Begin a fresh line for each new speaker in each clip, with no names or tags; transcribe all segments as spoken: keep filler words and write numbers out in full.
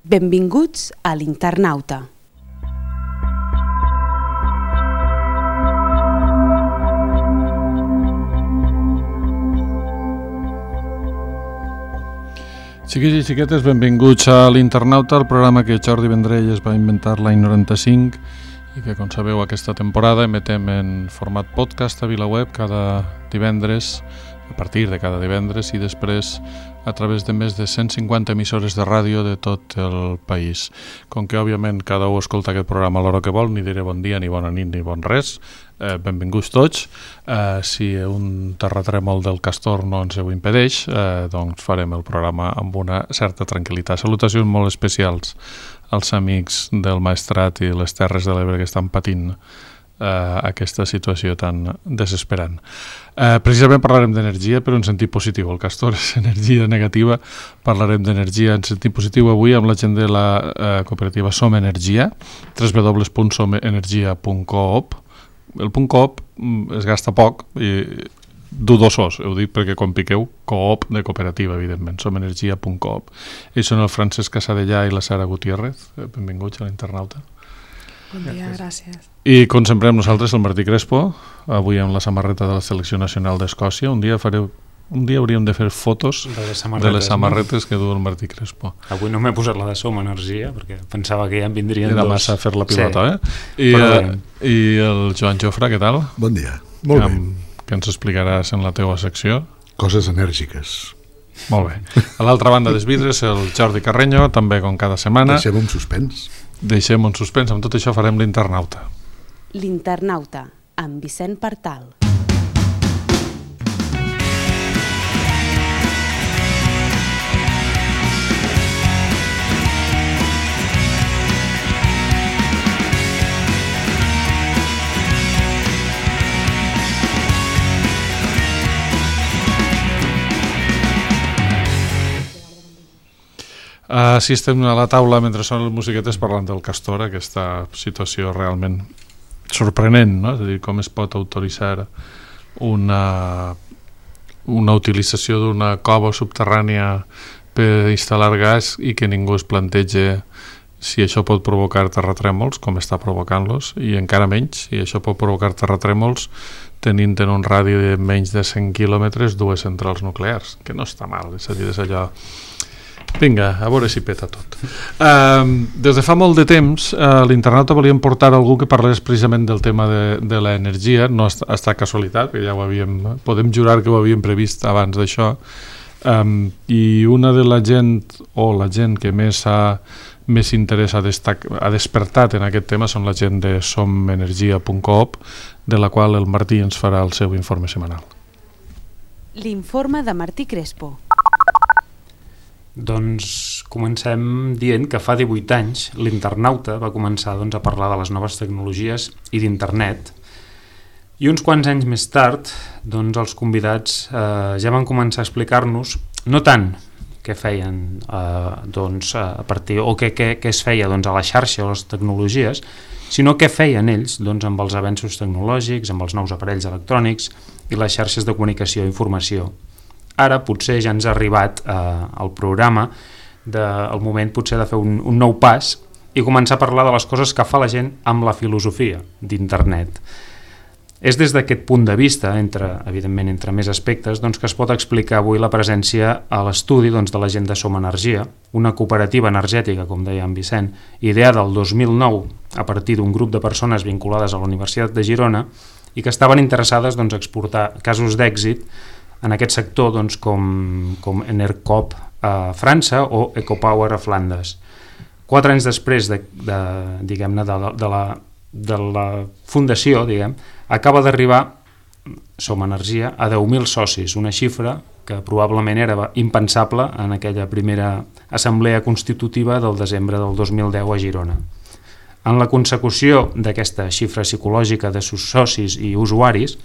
Benvinguts a l'Internauta.
Xiquets i xiquetes, benvinguts a l'Internauta, el programa que Jordi Vendrell es va inventar l'any noranta-cinc i que, com sabeu, aquesta temporada emetem en format podcast a VilaWeb cada divendres, a partir de cada divendres, i després a través de més de cent cinquanta emissores de ràdio de tot el país. Com que, òbviament, cada un escolta aquest programa a l'hora que vol, ni diré bon dia, ni bona nit, ni bon res, eh, benvinguts tots. Eh, si un terratrèmol del Castor no ens ho impedeix, eh, doncs farem el programa amb una certa tranquil·litat. Salutacions molt especials als amics del Maestrat i les Terres de l'Ebre que estan patint Uh, aquesta situació tan desesperant. Uh, precisament parlarem d'energia, però en sentit positiu. El Castor és energia negativa, parlarem d'energia en sentit positiu avui amb la gent de la uh, cooperativa Som Energia, w w w punt som energia punt coop. El punt coop es gasta poc i dudosos, ho dic perquè quan piqueu, coop de cooperativa, evidentment, som energia punt coop. Ells són el Francesc Casadellà i la Sara Gutiérrez. Benvinguts a l'Internauta.
Bon dia, gràcies.
I com sempre amb nosaltres el Martí Crespo, avui amb la samarreta de la Selecció Nacional d'Escòcia. Un dia fareu, un dia hauríem de fer fotos de les samarretes, de les samarretes no? que du el Martí Crespo.
Avui no m'he posat la de Som Energia perquè pensava que ja en vindrien
Era
dos.
Era massa fer la pilota, sí. eh? I, eh, I el Joan Jofre, què tal?
Bon dia. Molt
amb,
bé.
Que ens explicaràs en la teua secció.
Coses enèrgiques.
Molt bé. A l'altra banda dels vidres, el Jordi Carreño, també com cada setmana.
Deixem un suspens.
Deixem un suspens. Amb tot això farem l'Internauta.
L'Internauta, amb Vicent Partal. Uh, si estem a la taula mentre sonen les musiquetes parlant del Castor, aquesta situació realment sorprenent, no? És a dir, com es pot autoritzar una, una utilització d'una cova subterrània per instal·lar gas i que ningú es planteja si això pot provocar terratrèmols, com està provocant-los, i encara menys, si això pot provocar terratrèmols tenint en un radi de menys de cent quilòmetres dues centrals nuclears, que no està mal, és a dir, és allò... Vinga, a veure si peta tot. Uh, des de fa molt de temps, uh, l'Internauta volíem portar algú que parlés precisament del tema de, de l'energia, no ha estat casualitat, que ja ho havíem, podem jurar que ho havíem previst abans d'això, um, i una de la gent, o la gent que més ha més interès ha, destac, ha despertat en aquest tema són la gent de som energia punt coop, de la qual el Martí ens farà el seu informe setmanal. L'informe de Martí Crespo.
Doncs comencem dient que fa divuit anys l'Internauta va començar doncs, a parlar de les noves tecnologies i d'internet, i uns quants anys més tard doncs, els convidats eh, ja van començar a explicar-nos no tant què feien eh, doncs, a partir, o què, què, què es feia doncs, a la xarxa o les tecnologies, sinó què feien ells doncs, amb els avenços tecnològics, amb els nous aparells electrònics i les xarxes de comunicació i informació. Ara potser ja ens ha arribat eh, el programa del moment potser de fer un, un nou pas i començar a parlar de les coses que fa la gent amb la filosofia d'internet. És des d'aquest punt de vista, entre, evidentment entre més aspectes, doncs, que es pot explicar avui la presència a l'estudi doncs, de la gent de Som Energia, una cooperativa energètica, com deia en Vicent, ideada el dos mil nou a partir d'un grup de persones vinculades a la Universitat de Girona i que estaven interessades doncs, a exportar casos d'èxit en aquest sector doncs, com, com Enercop a França o EcoPower a Flandes. Quatre anys després de, de, diguem-ne, de, de, la, de la fundació, diguem, acaba d'arribar Som Energia a deu mil socis, una xifra que probablement era impensable en aquella primera assemblea constitutiva del desembre del dos mil deu a Girona. En la consecució d'aquesta xifra psicològica de sus socis i usuaris,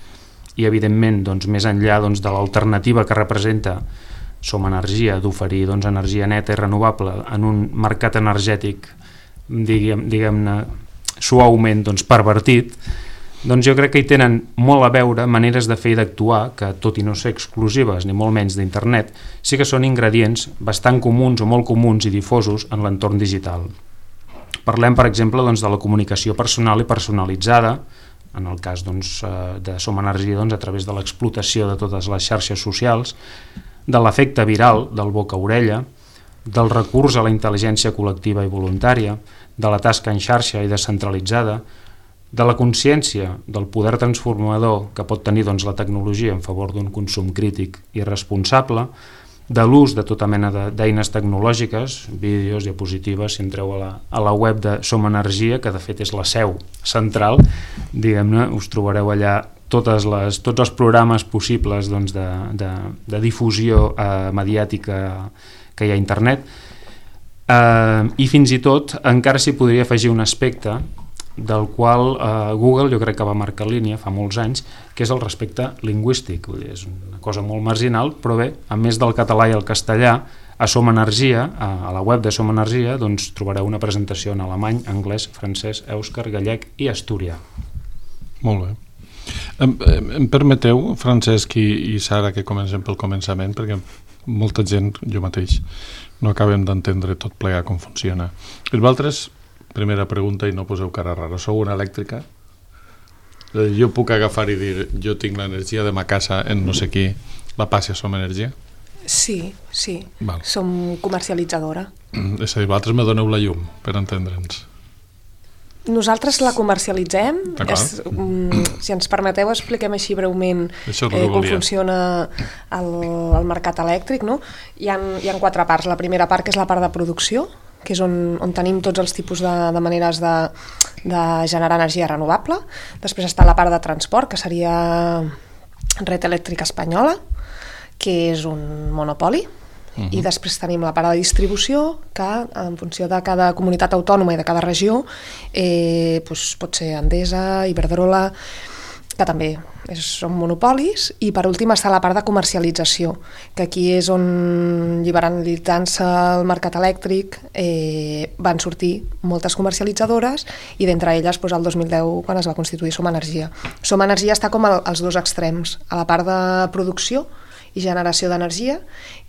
i evidentment doncs, més enllà doncs, de l'alternativa que representa Som Energia d'oferir doncs, energia neta i renovable en un mercat energètic diguem, diguem-ne suaument doncs, pervertit, Doncs jo crec que hi tenen molt a veure maneres de fer i d'actuar que, tot i no ser exclusives ni molt menys d'internet, sí que són ingredients bastant comuns o molt comuns i difosos en l'entorn digital. Parlem, per exemple, doncs, de la comunicació personal i personalitzada, en el cas doncs, de Som Energia, doncs, a través de l'explotació de totes les xarxes socials, de l'efecte viral del boca a orella, del recurs a la intel·ligència col·lectiva i voluntària, de la tasca en xarxa i descentralitzada, de la consciència del poder transformador que pot tenir doncs, la tecnologia en favor d'un consum crític i responsable, de l'ús de tota mena d'eines tecnològiques, vídeos, diapositives, si entreu a la, a la web de Som Energia, que de fet és la seu central, diguem-ne, us trobareu allà totes les, tots els programes possibles doncs, de, de, de difusió eh, mediàtica que hi ha a internet, eh, i fins i tot encara s'hi podria afegir un aspecte del qual eh, Google jo crec que va marcar línia fa molts anys, que és el respecte lingüístic. Vull dir, és una cosa molt marginal, però bé, a més del català i el castellà, a Som Energia, a, a la web de Som Energia, doncs trobareu una presentació en alemany, anglès, francès, èuscar, gallec i asturià.
Molt bé. Em, em permeteu, Francesc i, i Sara, que comencem pel començament, perquè molta gent, jo mateix, no acabem d'entendre tot plegat com funciona. I vosaltres, primera pregunta, i no poseu cara rara, sou una elèctrica? Jo puc agafar i dir, jo tinc l'energia de ma casa en no sé qui, la passi a Som Energia?
Sí, sí,
Val.
Som comercialitzadora.
Mm, és a dir, vosaltres me doneu la llum, per entendre'ns.
Nosaltres la comercialitzem. És, um, si ens permeteu, expliquem així breument eh, com funciona el, el mercat elèctric. No? Hi ha, hi ha quatre parts. La primera part, que és la part de producció, que és on, on tenim tots els tipus de, de maneres de, de generar energia renovable. Després està la part de transport, que seria Red Elèctrica Espanyola, que és un monopoli. Uh-huh. I després tenim la part de distribució, que en funció de cada comunitat autònoma i de cada regió eh, doncs pot ser Endesa, Iberdrola, que també és, són monopolis. I per últim està la part de comercialització, que aquí és on, liberalitzant-se el mercat elèctric, eh, van sortir moltes comercialitzadores, i d'entre elles doncs, el dos mil deu, quan es va constituir Som Energia. Som Energia està com als dos extrems, a la part de producció i generació d'energia,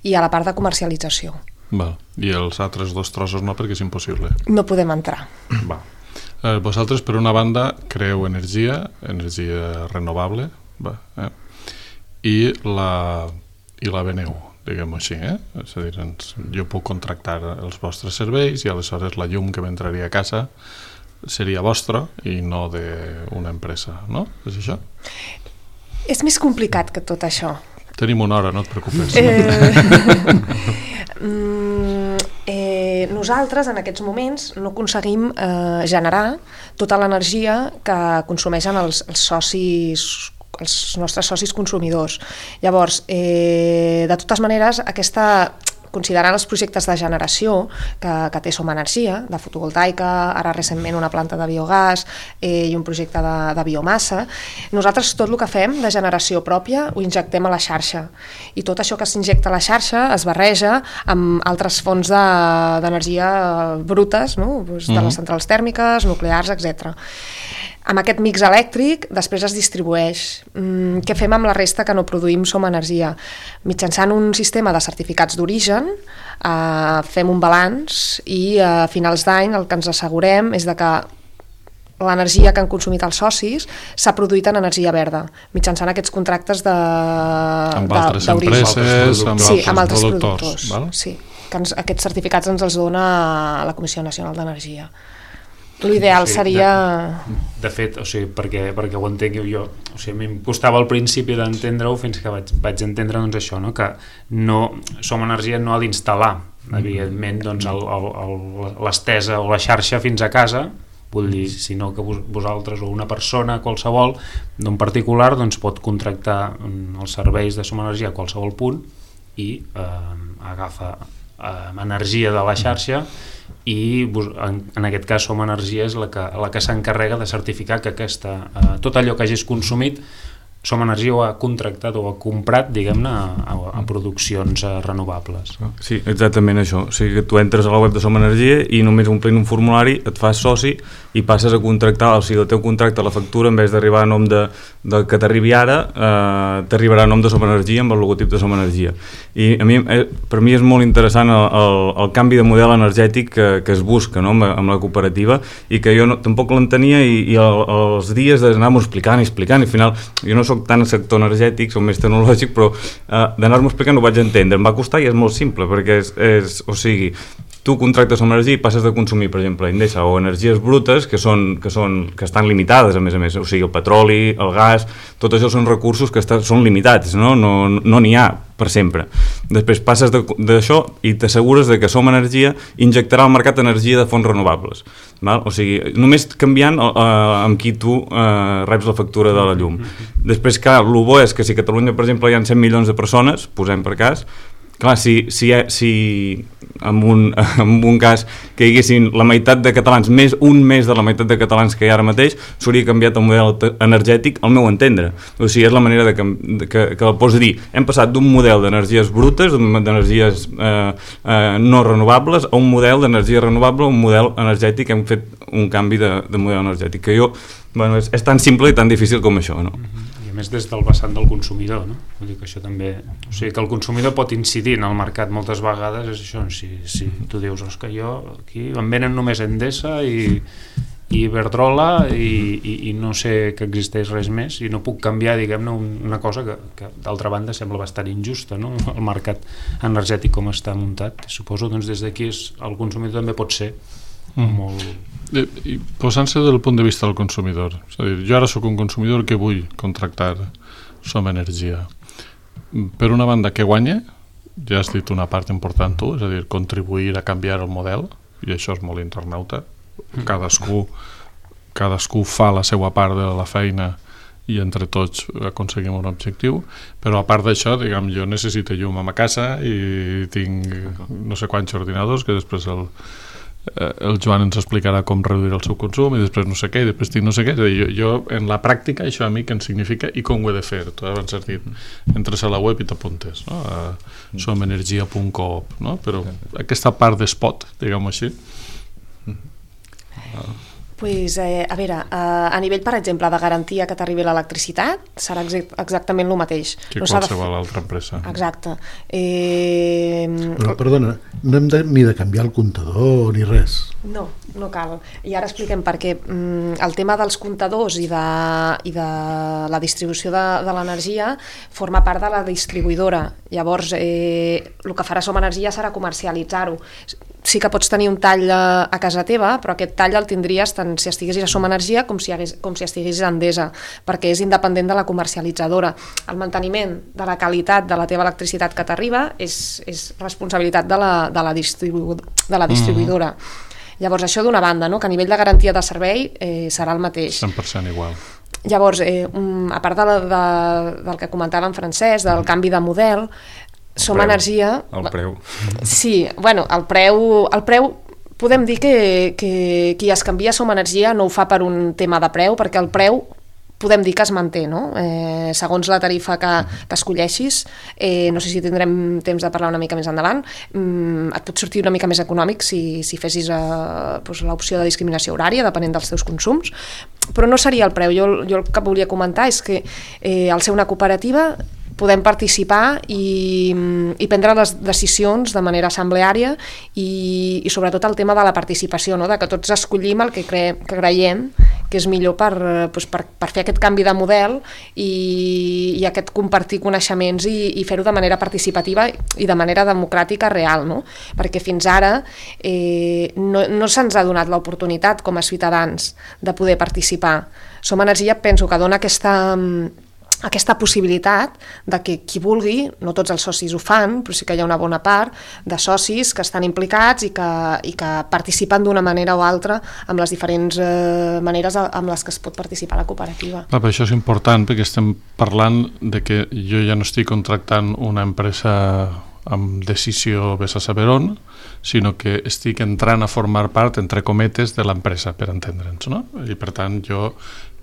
i a la part de comercialització.
Val. I els altres dos trossos no, perquè és impossible.
No podem entrar.
Va. Eh, vosaltres, per una banda, creeu energia, energia renovable, va, eh? I la, i la veneu, diguem-ho així. Eh? És a dir, ens, jo puc contractar els vostres serveis i aleshores la llum que m'entraria a casa seria vostra i no d'una empresa, no? És això?
És més complicat que tot això.
Tenim una hora, no et preocupes.
Eh, mm, eh, nosaltres en aquests moments no aconseguim eh, generar tota l'energia que consumeixen els, els socis, els nostres socis consumidors. Llavors, eh, de totes maneres, aquesta... considerant els projectes de generació que, que té Som Energia, de fotovoltaica, ara recentment una planta de biogàs eh, i un projecte de, de biomassa, nosaltres tot el que fem de generació pròpia ho injectem a la xarxa, i tot això que s'injecta a la xarxa es barreja amb altres fonts d'energia de, brutes, no? Pues de les centrals tèrmiques, nuclears, etcètera. Amb aquest mix elèctric després es distribueix. Mm, què fem amb la resta que no produïm Som Energia? Mitjançant un sistema de certificats d'origen eh, fem un balanç, i a finals d'any el que ens assegurem és de que l'energia que han consumit els socis s'ha produït en energia verda, mitjançant aquests contractes de
amb altres empreses, amb
sí,
altres,
amb altres
productors,
productors
val?
Sí, que ens, aquests certificats ens els dona la Comissió Nacional d'Energia. L'ideal
sí,
seria...
De, de fet, o sigui, perquè, perquè ho entenc jo, o sigui, a mi em costava al principi d'entendre-ho fins que vaig, vaig entendre doncs, això, no? Que no, Som Energia no ha d'instal·lar, evidentment, doncs, el, el, el, l'estesa o la xarxa fins a casa, vull dir, sinó que vos, vosaltres o una persona qualsevol d'un particular doncs, pot contractar els serveis de Som Energia a qualsevol punt i eh, agafa eh, energia de la xarxa, i en, en aquest cas Som Energia és la que, la que s'encarrega de certificar que aquesta, eh, tot allò que hagis consumit Som Energia ho ha contractat o ha comprat, diguem-ne, a, a produccions renovables.
Sí, exactament això. O sigui que tu entres a la web de Som Energia i només omplint un formulari et fas soci i passes a contractar, o sigui, el teu contracte, la factura, en vez d'arribar a nom de, de que t'arribi ara, eh, t'arribarà a nom de Som Energia amb el logotip de Som Energia. I a mi, eh, per mi és molt interessant el, el, el canvi de model energètic que, que es busca, no?, amb, amb la cooperativa, i que jo no, tampoc l'entenia, i, i el, els dies d'anar-m'ho explicant i explicant, i al final jo no soc tant al sector energètic, soc més tecnològic, però eh, d'anar-m'ho explicant ho vaig entendre. Em va costar i és molt simple, perquè és, és o sigui, tu contractes amb energia i passes de consumir, per exemple, Endesa o energies brutes que, són, que, són, que estan limitades, a més a més, o sigui, el petroli, el gas, tot això són recursos que estan, són limitats, no n'hi no, no ha per sempre. Després passes d'això i t'assegures de que Som Energia injectarà al mercat energia de fonts renovables. Val? O sigui, només canviant eh, amb qui tu eh, reps la factura de la llum. Després, clar, el bo és que si a Catalunya, per exemple, hi ha cent milions de persones, posem per cas, clar, si, si, si en, un, en un cas que hi haguessin la meitat de catalans, més un més de la meitat de catalans que hi ha ara mateix, s'hauria canviat el model energètic, al meu entendre. O sigui, és la manera de que, de, que, que el pots dir, hem passat d'un model d'energies brutes, d'energies eh, eh, no renovables, a un model d'energia renovable, un model energètic, hem fet un canvi de, de model energètic, que jo, bueno, és, és tan simple i tan difícil com això, no?
Més des del vessant del consumidor, no? Vull dir que això també... O sigui, que el consumidor pot incidir en el mercat moltes vegades, és això, si, si tu dius, és que jo aquí em venen només Endesa i, i Iberdrola i, i, i no sé que existeix res més i no puc canviar, diguem-ne, una cosa que, que d'altra banda sembla bastant injusta, no? El mercat energètic com està muntat. Suposo, doncs, des d'aquí el consumidor també pot ser mm. molt...
I, i posant-se del punt de vista del consumidor, és a dir, jo ara sóc un consumidor que vull contractar Som Energia. Per una banda, que guanya, ja has dit una part important tu, és a dir, contribuir a canviar el model, i això és molt internauta, cadascú, cadascú fa la seva part de la feina i entre tots aconseguim un objectiu, però a part d'això, diguem, jo necessito llum a ma casa i tinc no sé quants ordinadors que després el el Joan ens explicarà com reduir el seu consum i després no sé què, i després tinc no sé què. Jo, jo en la pràctica això a mi què em significa i com ho he de fer. Tu abans has dit, entres a la web i t'apuntes, no? A somenergia punt coop, no? Però aquesta part d'espot, diguem-ho així.
Pues, eh, a veure, eh, a nivell, per exemple, de garantia que t'arribi l'electricitat, serà exactament el mateix.
Que no qualsevol de... altra empresa.
Exacte. Eh...
Però, perdona, no hem de, ni de canviar el comptador ni res.
No, no cal. I ara expliquem per què. El tema dels comptadors i de, i de la distribució de, de l'energia forma part de la distribuïdora. Llavors, eh, el que farà Som Energia serà comercialitzar-ho. Sí que pots tenir un tall a, a casa teva, però aquest tall el tindries tant si estiguessis a Som Energia com si, hagués, com si estiguessis a Endesa, perquè és independent de la comercialitzadora. El manteniment de la qualitat de la teva electricitat que t'arriba és, és responsabilitat de la, de la, distribu, de la distribuïdora. Mm-hmm. Llavors, això d'una banda, no? Que a nivell de garantia de servei eh, serà el mateix.
cent per cent igual.
Llavors, eh, a part de la, de, del que comentava en Francesc, del canvi de model, Som Energia...
El preu.
Sí, bueno, el preu... El preu podem dir que, que qui es canvia a Som Energia no ho fa per un tema de preu, perquè el preu podem dir que es manté, no? Eh, segons la tarifa que, que escolleixis, eh, no sé si tindrem temps de parlar una mica més endavant, mm, et pot sortir una mica més econòmic si, si fessis eh, doncs, l'opció de discriminació horària, depenent dels teus consums, però no seria el preu. Jo, jo el que volia comentar és que eh, al ser una cooperativa podem participar i, i prendre les decisions de manera assembleària i, i sobretot el tema de la participació, no? De que tots escollim el que, cre que creiem que és millor per, doncs per, per fer aquest canvi de model i, i aquest compartir coneixements i, i fer-ho de manera participativa i de manera democràtica real, no? Perquè fins ara eh, no, no se'ns ha donat l'oportunitat com a ciutadans de poder participar. Som Energia penso que dona aquesta... aquesta possibilitat de que qui vulgui, no tots els socis ho fan, però sí que hi ha una bona part de socis que estan implicats i que, i que participen d'una manera o altra amb les diferents eh, maneres amb les que es pot participar a la cooperativa.
Ah, però això és important perquè estem parlant de que jo ja no estic contractant una empresa amb decisió vés a saber on, sinó que estic entrant a formar part, entre cometes, de l'empresa, per entendre'ns, no? I per tant jo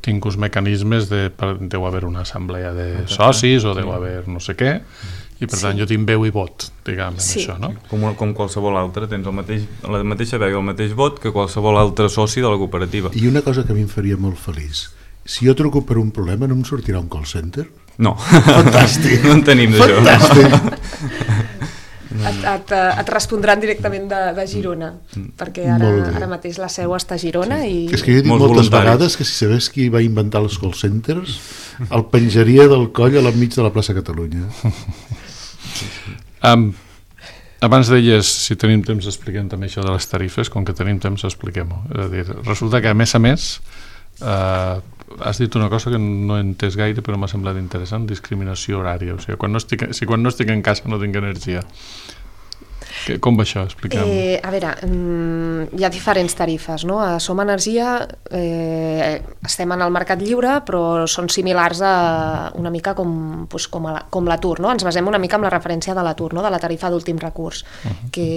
tinc uns mecanismes de, deu haver una assemblea de socis o deu haver no sé què, i per tant sí. jo tinc veu i vot, diguem, en sí. això, no?
Com, com qualsevol altre, tens el mateix, la mateixa veu i el mateix vot que qualsevol altre soci de la cooperativa.
I una cosa que a mi em faria molt feliç, si jo truco per un problema no em sortirà un call center?
No.
Fantàstic.
No en tenim d'això.
Fantàstic.
Et, et, et respondran directament de, de Girona, perquè ara, ara mateix la seu està a Girona. Sí. I...
És que jo he dit
Molts
moltes
voluntaris.
vegades que si sabés qui va inventar els call centers el penjaria del coll a l'enmig de la plaça Catalunya.
um, abans deies, si tenim temps expliquem també això de les tarifes, com que tenim temps expliquem-ho. És a dir, resulta que a més a més uh, has dit una cosa que no he entès gaire però m'ha semblat interessant, discriminació horària, o sigui, quan no estic, si quan no estic en casa no tinc energia. Que, com va això? Expliquem.
Eh, a veure, hi ha diferents tarifes, no? A Som Energia eh, estem en el mercat lliure, però són similars a una mica com, doncs, com, a, com l'atur, no? Ens basem una mica en la referència de l'atur, no? De la tarifa d'últim recurs, uh-huh. que,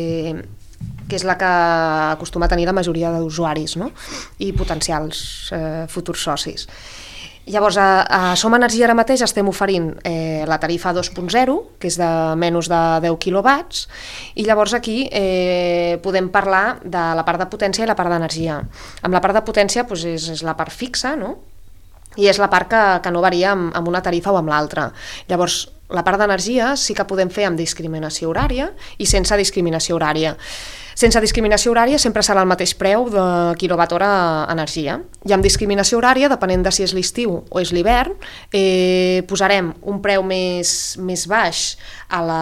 que és la que acostuma a tenir la majoria d'usuaris, no? I potencials eh, futurs socis. Llavors, a, a Som Energia ara mateix estem oferint eh, la tarifa dos punt zero, que és de menys de deu quilowatts, i llavors aquí eh, podem parlar de la part de potència i la part d'energia. Amb la part de potència doncs, és, és la part fixa, no? I és la part que, que no varia amb, amb una tarifa o amb l'altra. Llavors, la part d'energia sí que podem fer amb discriminació horària i sense discriminació horària. Sense discriminació horària sempre serà el mateix preu de quilowatt-hora energia. I amb discriminació horària, depenent de si és l'estiu o és l'hivern, eh, posarem un preu més, més baix a, la,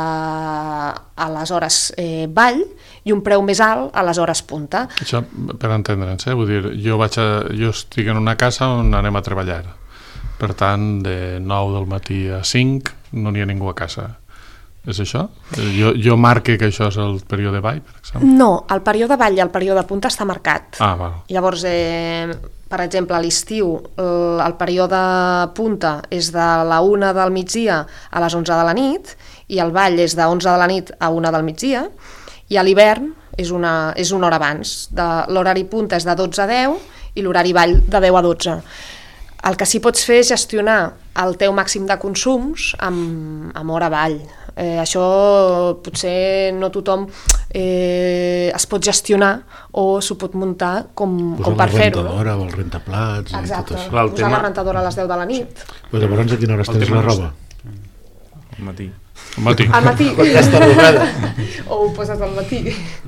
a les hores eh, vall i un preu més alt a les hores punta.
Això per entendre'ns, eh? Vull dir, jo, vaig a, jo estic en una casa on anem a treballar. Per tant, de nou del matí a cinc no n'hi ha ningú a casa. És això? Jo, jo marque que això és el període vall, per exemple?
No, el període vall i el període punta està marcat.
Ah, val.
Llavors, eh, per exemple, a l'estiu el, el període punta és de la una del migdia a les onze de la nit i el vall és de onze de la nit a una del migdia i a l'hivern és una, és una hora abans. De, l'horari punta és de dotze a deu i l'horari vall de deu a dotze. El que sí pots fer és gestionar el teu màxim de consums amb, amb hora vall. Eh, això potser no tothom eh, es pot gestionar o s'ho pot muntar com, com per fer-ho.
Posar la rentadora o el rentaplats.
Exacte,
i tot això.
Clar, posar tema... la rentadora a les deu de la nit.
Però llavors a quina hora estens la roba?
Al matí.
Al matí.
Al matí. O ho poses al matí.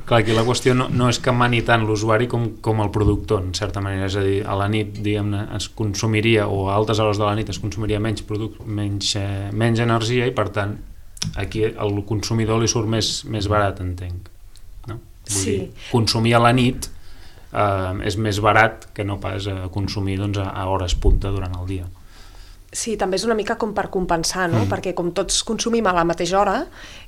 Clar, aquí la qüestió no, no és que mani tant l'usuari com, com el productor, en certa manera. És a dir, a la nit, diguem-ne, es consumiria, o a altes hores de la nit es consumiria menys, produc, menys, eh, menys energia i, per tant, aquí al consumidor li surt més, més barat, entenc. No? Vull
sí.
dir, consumir a la nit eh, és més barat que no pas a consumir doncs, a, a hores punta durant el dia.
Sí, també és una mica com per compensar, no? Mm. Perquè com tots consumim a la mateixa hora,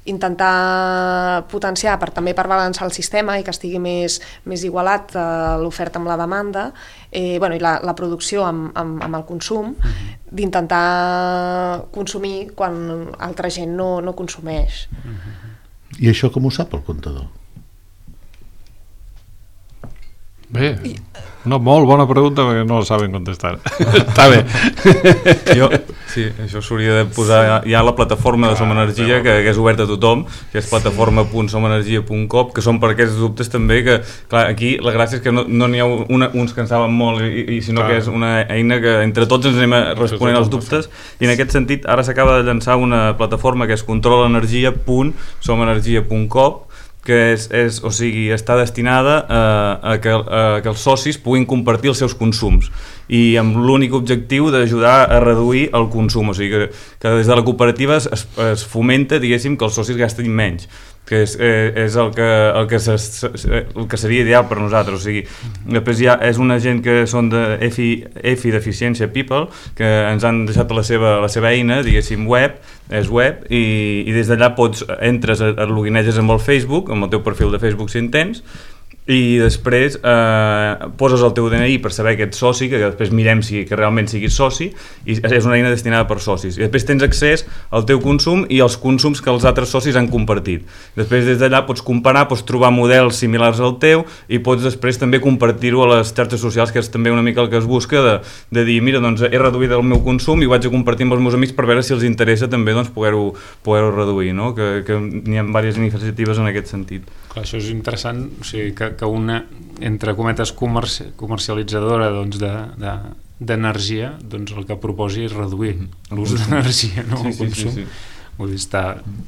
intentar potenciar per, també per balançar el sistema i que estigui més, més igualat eh, l'oferta amb la demanda eh, bueno, i la, la producció amb, amb, amb el consum, mm. d'intentar consumir quan altra gent no, no consumeix.
Mm. I això com ho sap el comptador?
Bé, no, molt bona pregunta perquè no la saben contestar. Està bé.
Jo, sí, això s'hauria de posar ja, ja la plataforma de Som Energia, que, que és oberta a tothom, que és plataforma punt som energia punt com, que són per aquests dubtes també, que clar, aquí la gràcia és que no n'hi no ha una, uns que en saben molt, i, i sinó clar. Que és una eina que entre tots ens anem responent als dubtes, i en aquest sentit ara s'acaba de llançar una plataforma que és control energia punt som energia punt com, que és, és, o sigui, està destinada a, a, que, a que els socis puguin compartir els seus consums i amb l'únic objectiu d'ajudar a reduir el consum, o sigui que, que des de la cooperativa es, es fomenta, diguéssim, que els socis gastin menys, que és, és el, que, el, que se, el que seria ideal per nosaltres. O sigui, després ja és una gent que són de EFI, EFI d'Eficiència People, que ens han deixat la seva, la seva eina, diguéssim, web, és web, i, i des d'allà pots, entres, et logineges amb el Facebook, amb el teu perfil de Facebook si en tens, i després eh, poses el teu D N I per saber que ets soci, que després mirem si que realment siguis soci, i és una eina destinada per socis. I després tens accés al teu consum i als consums que els altres socis han compartit. Després des d'allà pots comparar, pots trobar models similars al teu i pots després també compartir-ho a les xarxes socials, que és també una mica el que es busca, de, de dir, mira, doncs he reduït el meu consum i ho vaig a compartir amb els meus amics per veure si els interessa també doncs, poder-ho poder-ho reduir, no? Que, que n'hi ha diverses iniciatives en aquest sentit.
Clar, això és interessant, o sigui, que, que una, entre cometes, comerci comercialitzadora doncs, de, de, d'energia, doncs el que proposi és reduir l'ús d'energia, no?
Sí,
el consum.
sí, sí, sí.
Vull dir, està,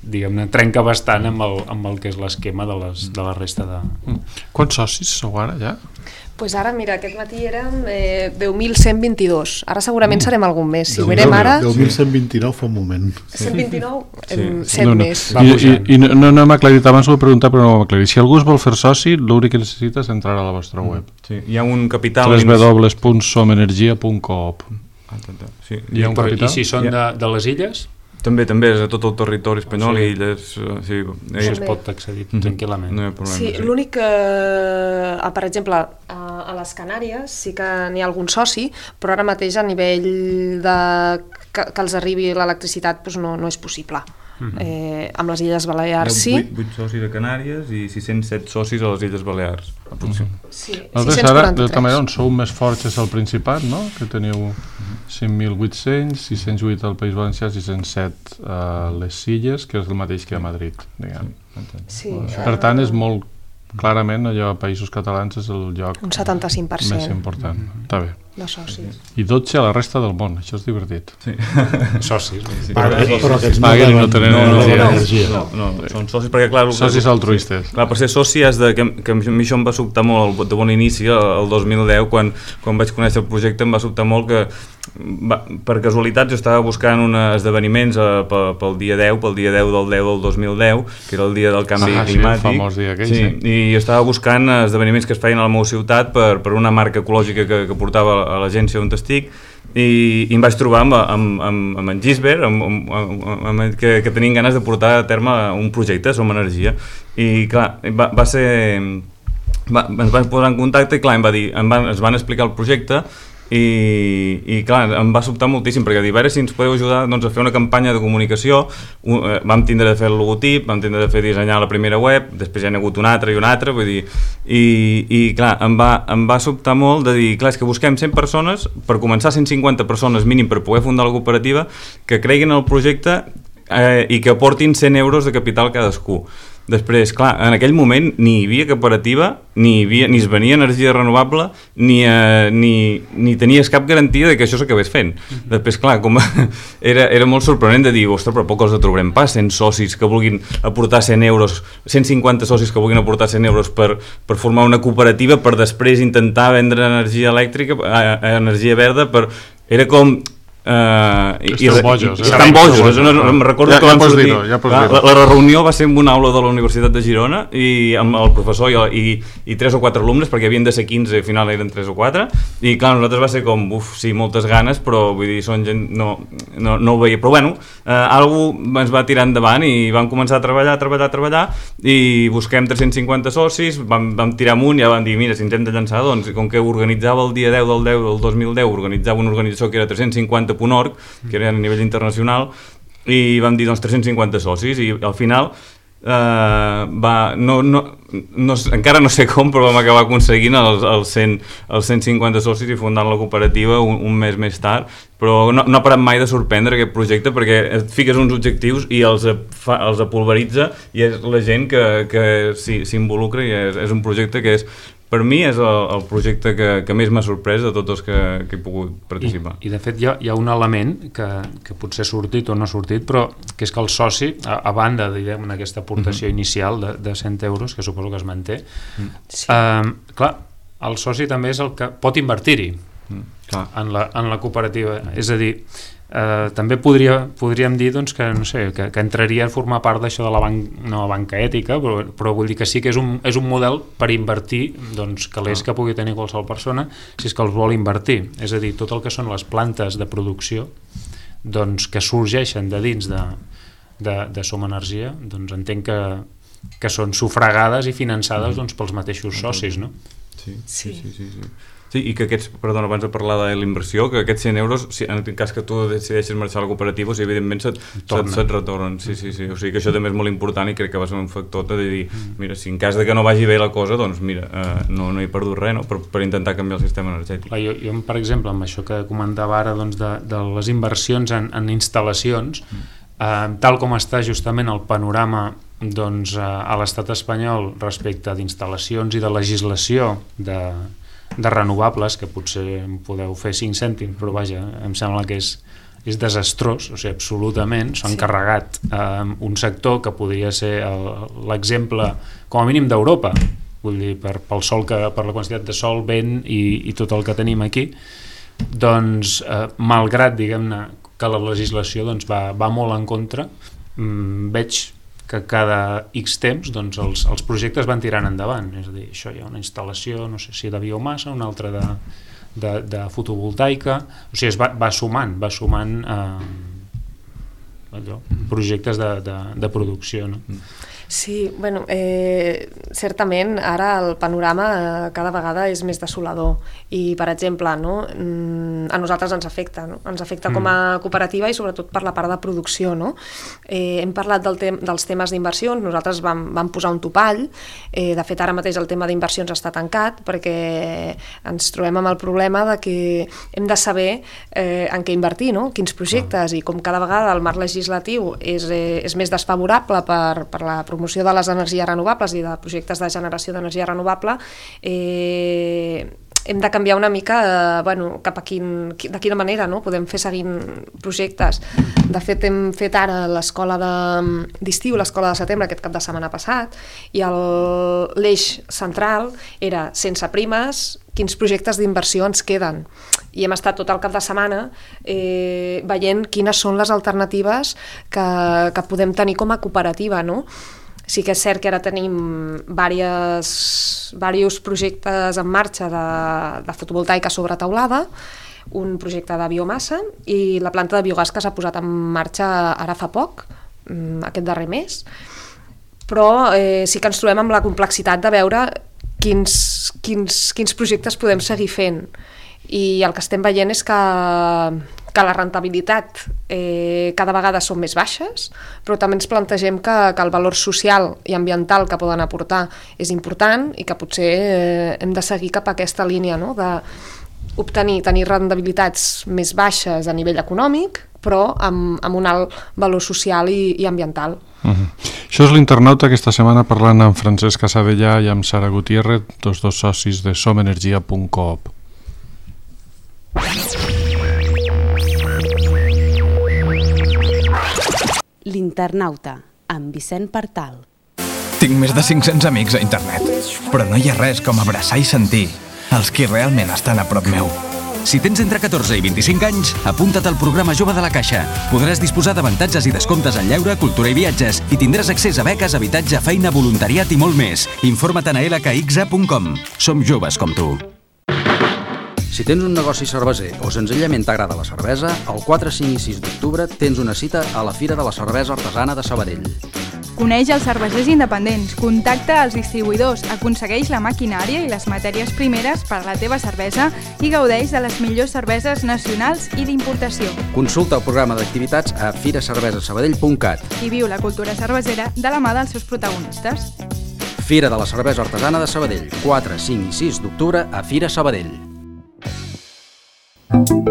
diguem-ne, trenca bastant amb el, amb el que és l'esquema de, les, de la resta de...
Quants socis sou ara, ja?
Pues ara, mira, aquest matí érem eh, deu mil cent vint-i-dos. Ara segurament serem algun més. Si ho mirem ara...
deu mil cent vint-i-nou fa un moment.
cent vint-i-nou?
Sí.
set
no, no.
més.
I, i, i no, no hem aclarit, abans ho he preguntat però no ho hem aclarit. Si algú es vol fer soci, l'únic que necessita és entrar a la vostra web.
Sí, hi ha un capital...
w w w punt som energia punt coop.
Sí.
Hi ha un
Però,
capital?
I si són de, de les illes?
També, també és a tot el territori espanyol, sí. I illes... Sí,
Això es pot accedir mm-hmm. tranquil·lament.
No hi ha problema.
Sí,
sí.
l'únic que, eh, per exemple, a, a les Canàries sí que n'hi ha algun soci, però ara mateix a nivell de que, que els arribi l'electricitat doncs no, no és possible. Mm-hmm. eh, amb les Illes Balears sí.
vuit, vuit socis a Canàries i sis cents set socis a les Illes Balears.
Mm-hmm.
Sí,
Altres ara, de tota manera, on sou més forts és el Principat, no? Que teniu cinc mil vuit-cents, sis cents vuit al País Valencià, sis cents set a les Illes, que és el mateix que a Madrid, diguem.
Sí,
per tant, és molt clarament allò a Països Catalans és el lloc
un setanta-cinc per cent
més important. Mm-hmm. Està bé.
De socis.
I dotze a la resta del món, això és divertit.
Sí.
Socis.
Sí.
Però, però aquests no,
Paguen i no
no
tenen
no,
energia.
no, energia.
No, no, no, són socis perquè clar...
Socis altruistes.
Clar, per ser soci has de... Que, que a mi això em va sobtar molt de bon inici, el dos mil deu, quan, quan vaig conèixer el projecte em va sobtar molt que va, per casualitat jo estava buscant uns esdeveniments eh, pel, pel dia deu, pel dia deu del deu del dos mil deu, que era el dia del canvi
ah,
climàtic.
Sí, el famós dia aquell,
sí,
sí.
I jo estava buscant esdeveniments que es feien a la meva ciutat per, per una marca ecològica que, que portava a l'agència on estic, i, i em vaig trobar amb, amb, amb, amb en Gisbert amb, amb, amb, amb, que, que tenien ganes de portar a terme un projecte, Som Energia, i clar, va, va ser va, ens van posar en contacte i clar, em va dir, em van, ens van explicar el projecte i, i clar, em va sobtar moltíssim perquè dir, a veure si ens podeu ajudar doncs, a fer una campanya de comunicació. Un, eh, vam tindre de fer el logotip, vam tindre de fer dissenyar la primera web, després ja hi ha hagut una altra i una altra, vull dir, i, i clar, em va, em va sobtar molt de dir, clar, és que busquem cent persones, per començar cent cinquanta persones mínim per poder fundar la cooperativa, que creguin en el projecte eh, i que aportin cent euros de capital cadascú. Després, clar, en aquell moment ni hi havia cooperativa, ni, hi havia, ni es venia energia renovable, ni, eh, ni, ni tenies cap garantia de que això s'acabés fent. Uh-huh. Després, clar, com era, era molt sorprenent de dir, ostres, però poc els trobarem pas, cent socis que vulguin aportar cent euros, cent cinquanta socis que vulguin aportar cent euros per, per formar una cooperativa, per després intentar vendre energia elèctrica, eh, energia verda, per... era com... Uh, i,
Esteu bojos,
i,
eh?
estan bojos, això no, no, em recordo
ja,
que
ja
vam sortir,
dir-ho, ja
la, la, la reunió va ser en una aula de la Universitat de Girona i amb el professor i, i, i tres o quatre alumnes, perquè havien de ser quinze i al final eren tres o quatre, i clar, nosaltres va ser com, uf, sí, moltes ganes, però vull dir, són gent, no, no, no ho veia, però bueno, eh, algú ens va tirar endavant i vam començar a treballar, a treballar, a treballar, i busquem tres-cents cinquanta socis, vam, vam tirar amunt i ja vam dir, mira, si ens hem de llançar, doncs, com que organitzava el dia deu del deu del dos mil deu, organitzava una organització que era tres-cents cinquanta punt org, que era a nivell internacional, i vam dir doncs tres-cents cinquanta socis, i al final eh, va, no, no, no, encara no sé com, però vam acabar aconseguint els, els, cent, els cent cinquanta socis i fundant la cooperativa un, un mes més tard, però no, no ha parat mai de sorprendre aquest projecte perquè et fiques uns objectius i els, fa, els apulveritza i és la gent que, que s'involucra i és, és un projecte que és, per mi és el, el projecte que, que més m'ha sorprès de tots els que, que he pogut participar.
I, i de fet hi ha, hi ha un element que, que potser ha sortit o no ha sortit, però que és que el soci, a, a banda d'aquesta aportació mm-hmm. inicial de, de cent euros, que suposo que es manté, mm. sí. eh, clar, el soci també és el que pot invertir-hi mm, en, la, en la cooperativa. Mm. És a dir, eh, també podria, podríem dir doncs, que, no sé, que, que entraria a formar part d'això de la banca, no, banca ètica, però, però vull dir que sí que és un, és un model per invertir doncs, calés que pugui tenir qualsevol persona si és que els vol invertir. És a dir, tot el que són les plantes de producció doncs, que sorgeixen de dins de, de, de Som Energia, doncs entenc que que són sufragades i finançades doncs, pels mateixos socis, no?
Sí, sí, sí, sí, sí. Sí, i que aquests, perdona, abans de parlar de la inversió, que aquests cent euros, si, en cas que tu decideixes marxar a la cooperativa, o sigui, evidentment se't, se't, se't retornen. Sí, sí, sí. O sigui que això també és molt important i crec que va ser un factor de dir, mira, si en cas de que no vagi bé la cosa, doncs mira, eh, no, no he perdut res, no? per, per intentar canviar el sistema energètic.
Jo, jo per exemple, amb això que comentava ara doncs, de, de les inversions en, en instal·lacions, eh, tal com està justament el panorama doncs, a l'estat espanyol respecte d'instal·lacions i de legislació de, de renovables, que potser em podeu fer cinc cèntims, però vaja, em sembla que és, és desastrós, o sigui, absolutament, s'han sí. carregat eh, un sector que podria ser l'exemple, com a mínim, d'Europa, vull dir, per, pel sol que, per la quantitat de sol, vent i, i tot el que tenim aquí, doncs, eh, malgrat, diguem-ne, que la legislació doncs, va, va molt en contra, mm, veig que cada X temps doncs, els, els projectes van tirant endavant, és a dir, això hi ha una instal·lació, no sé si de biomassa, una altra de, de, de fotovoltaica, o sigui, es va, va sumant, va sumant eh, allò, projectes de, de, de producció, no?
Sí, bueno, eh, certament ara el panorama eh, cada vegada és més desolador i, per exemple, no, a nosaltres ens afecta, no? Ens afecta mm. com a cooperativa i sobretot per la part de producció, no? Eh, hem parlat del tem dels temes d'inversions, nosaltres vam, vam posar un topall, eh, de fet ara mateix el tema d'inversions està tancat perquè ens trobem amb el problema de que hem de saber eh, en què invertir, no? Quins projectes, i com cada vegada el marc legislatiu és, eh, és més desfavorable per, per la promoció de les energies renovables i de projectes de generació d'energia renovable, eh, hem de canviar una mica eh, bueno, cap a quin, de quina manera no? podem fer seguint projectes. De fet, hem fet ara l'escola d'estiu, l'escola de setembre, aquest cap de setmana passat, i l'eix central era sense primes, quins projectes d'inversió ens queden. I hem estat tot el cap de setmana eh, veient quines són les alternatives que, que podem tenir com a cooperativa, no? Sí que és cert que ara tenim diversos, diversos projectes en marxa de, de fotovoltaica sobre teulada, un projecte de biomassa i la planta de biogàs que s'ha posat en marxa ara fa poc, aquest darrer mes, però eh, sí que ens trobem amb la complexitat de veure quins, quins, quins projectes podem seguir fent. I el que estem veient és que, que la rentabilitat eh, cada vegada són més baixes, però també ens plantegem que, que el valor social i ambiental que poden aportar és important i que potser eh, hem de seguir cap a aquesta línia, no? De obtenir, tenir rendibilitats més baixes a nivell econòmic, però amb, amb un alt valor social i, i ambiental.
Uh-huh. Això és l'Internauta aquesta setmana parlant amb Francesc Casadellà i amb Sara Gutiérrez, tots dos socis de som energia punt coop.
L'Internauta, amb Vicent Partal.
Tinc més de cinc-cents amics a internet, però no hi ha res com abraçar i sentir els qui realment estan a prop meu.
Si tens entre catorze i vint-i-cinc anys, apunta't al programa Jove de la Caixa. Podràs disposar d'avantatges i descomptes en lleure, cultura i viatges i tindràs accés a beques, habitatge, feina, voluntariat i molt més. Informa't a l k x a punt com. Som joves com tu.
Si tens un negoci cerveser o senzillament t'agrada la cervesa, el quatre, cinc i sis d'octubre tens una cita a la Fira de la Cervesa Artesana de Sabadell.
Coneix els cervesers independents, contacta els distribuïdors, aconsegueix la maquinària i les matèries primeres per a la teva cervesa i gaudeix de les millors cerveses nacionals i d'importació.
Consulta el programa d'activitats a fira cervesa sabadell punt cat
i viu la cultura cervesera de la mà dels seus protagonistes.
Fira de la Cervesa Artesana de Sabadell, quatre, cinc i sis d'octubre a Fira Sabadell.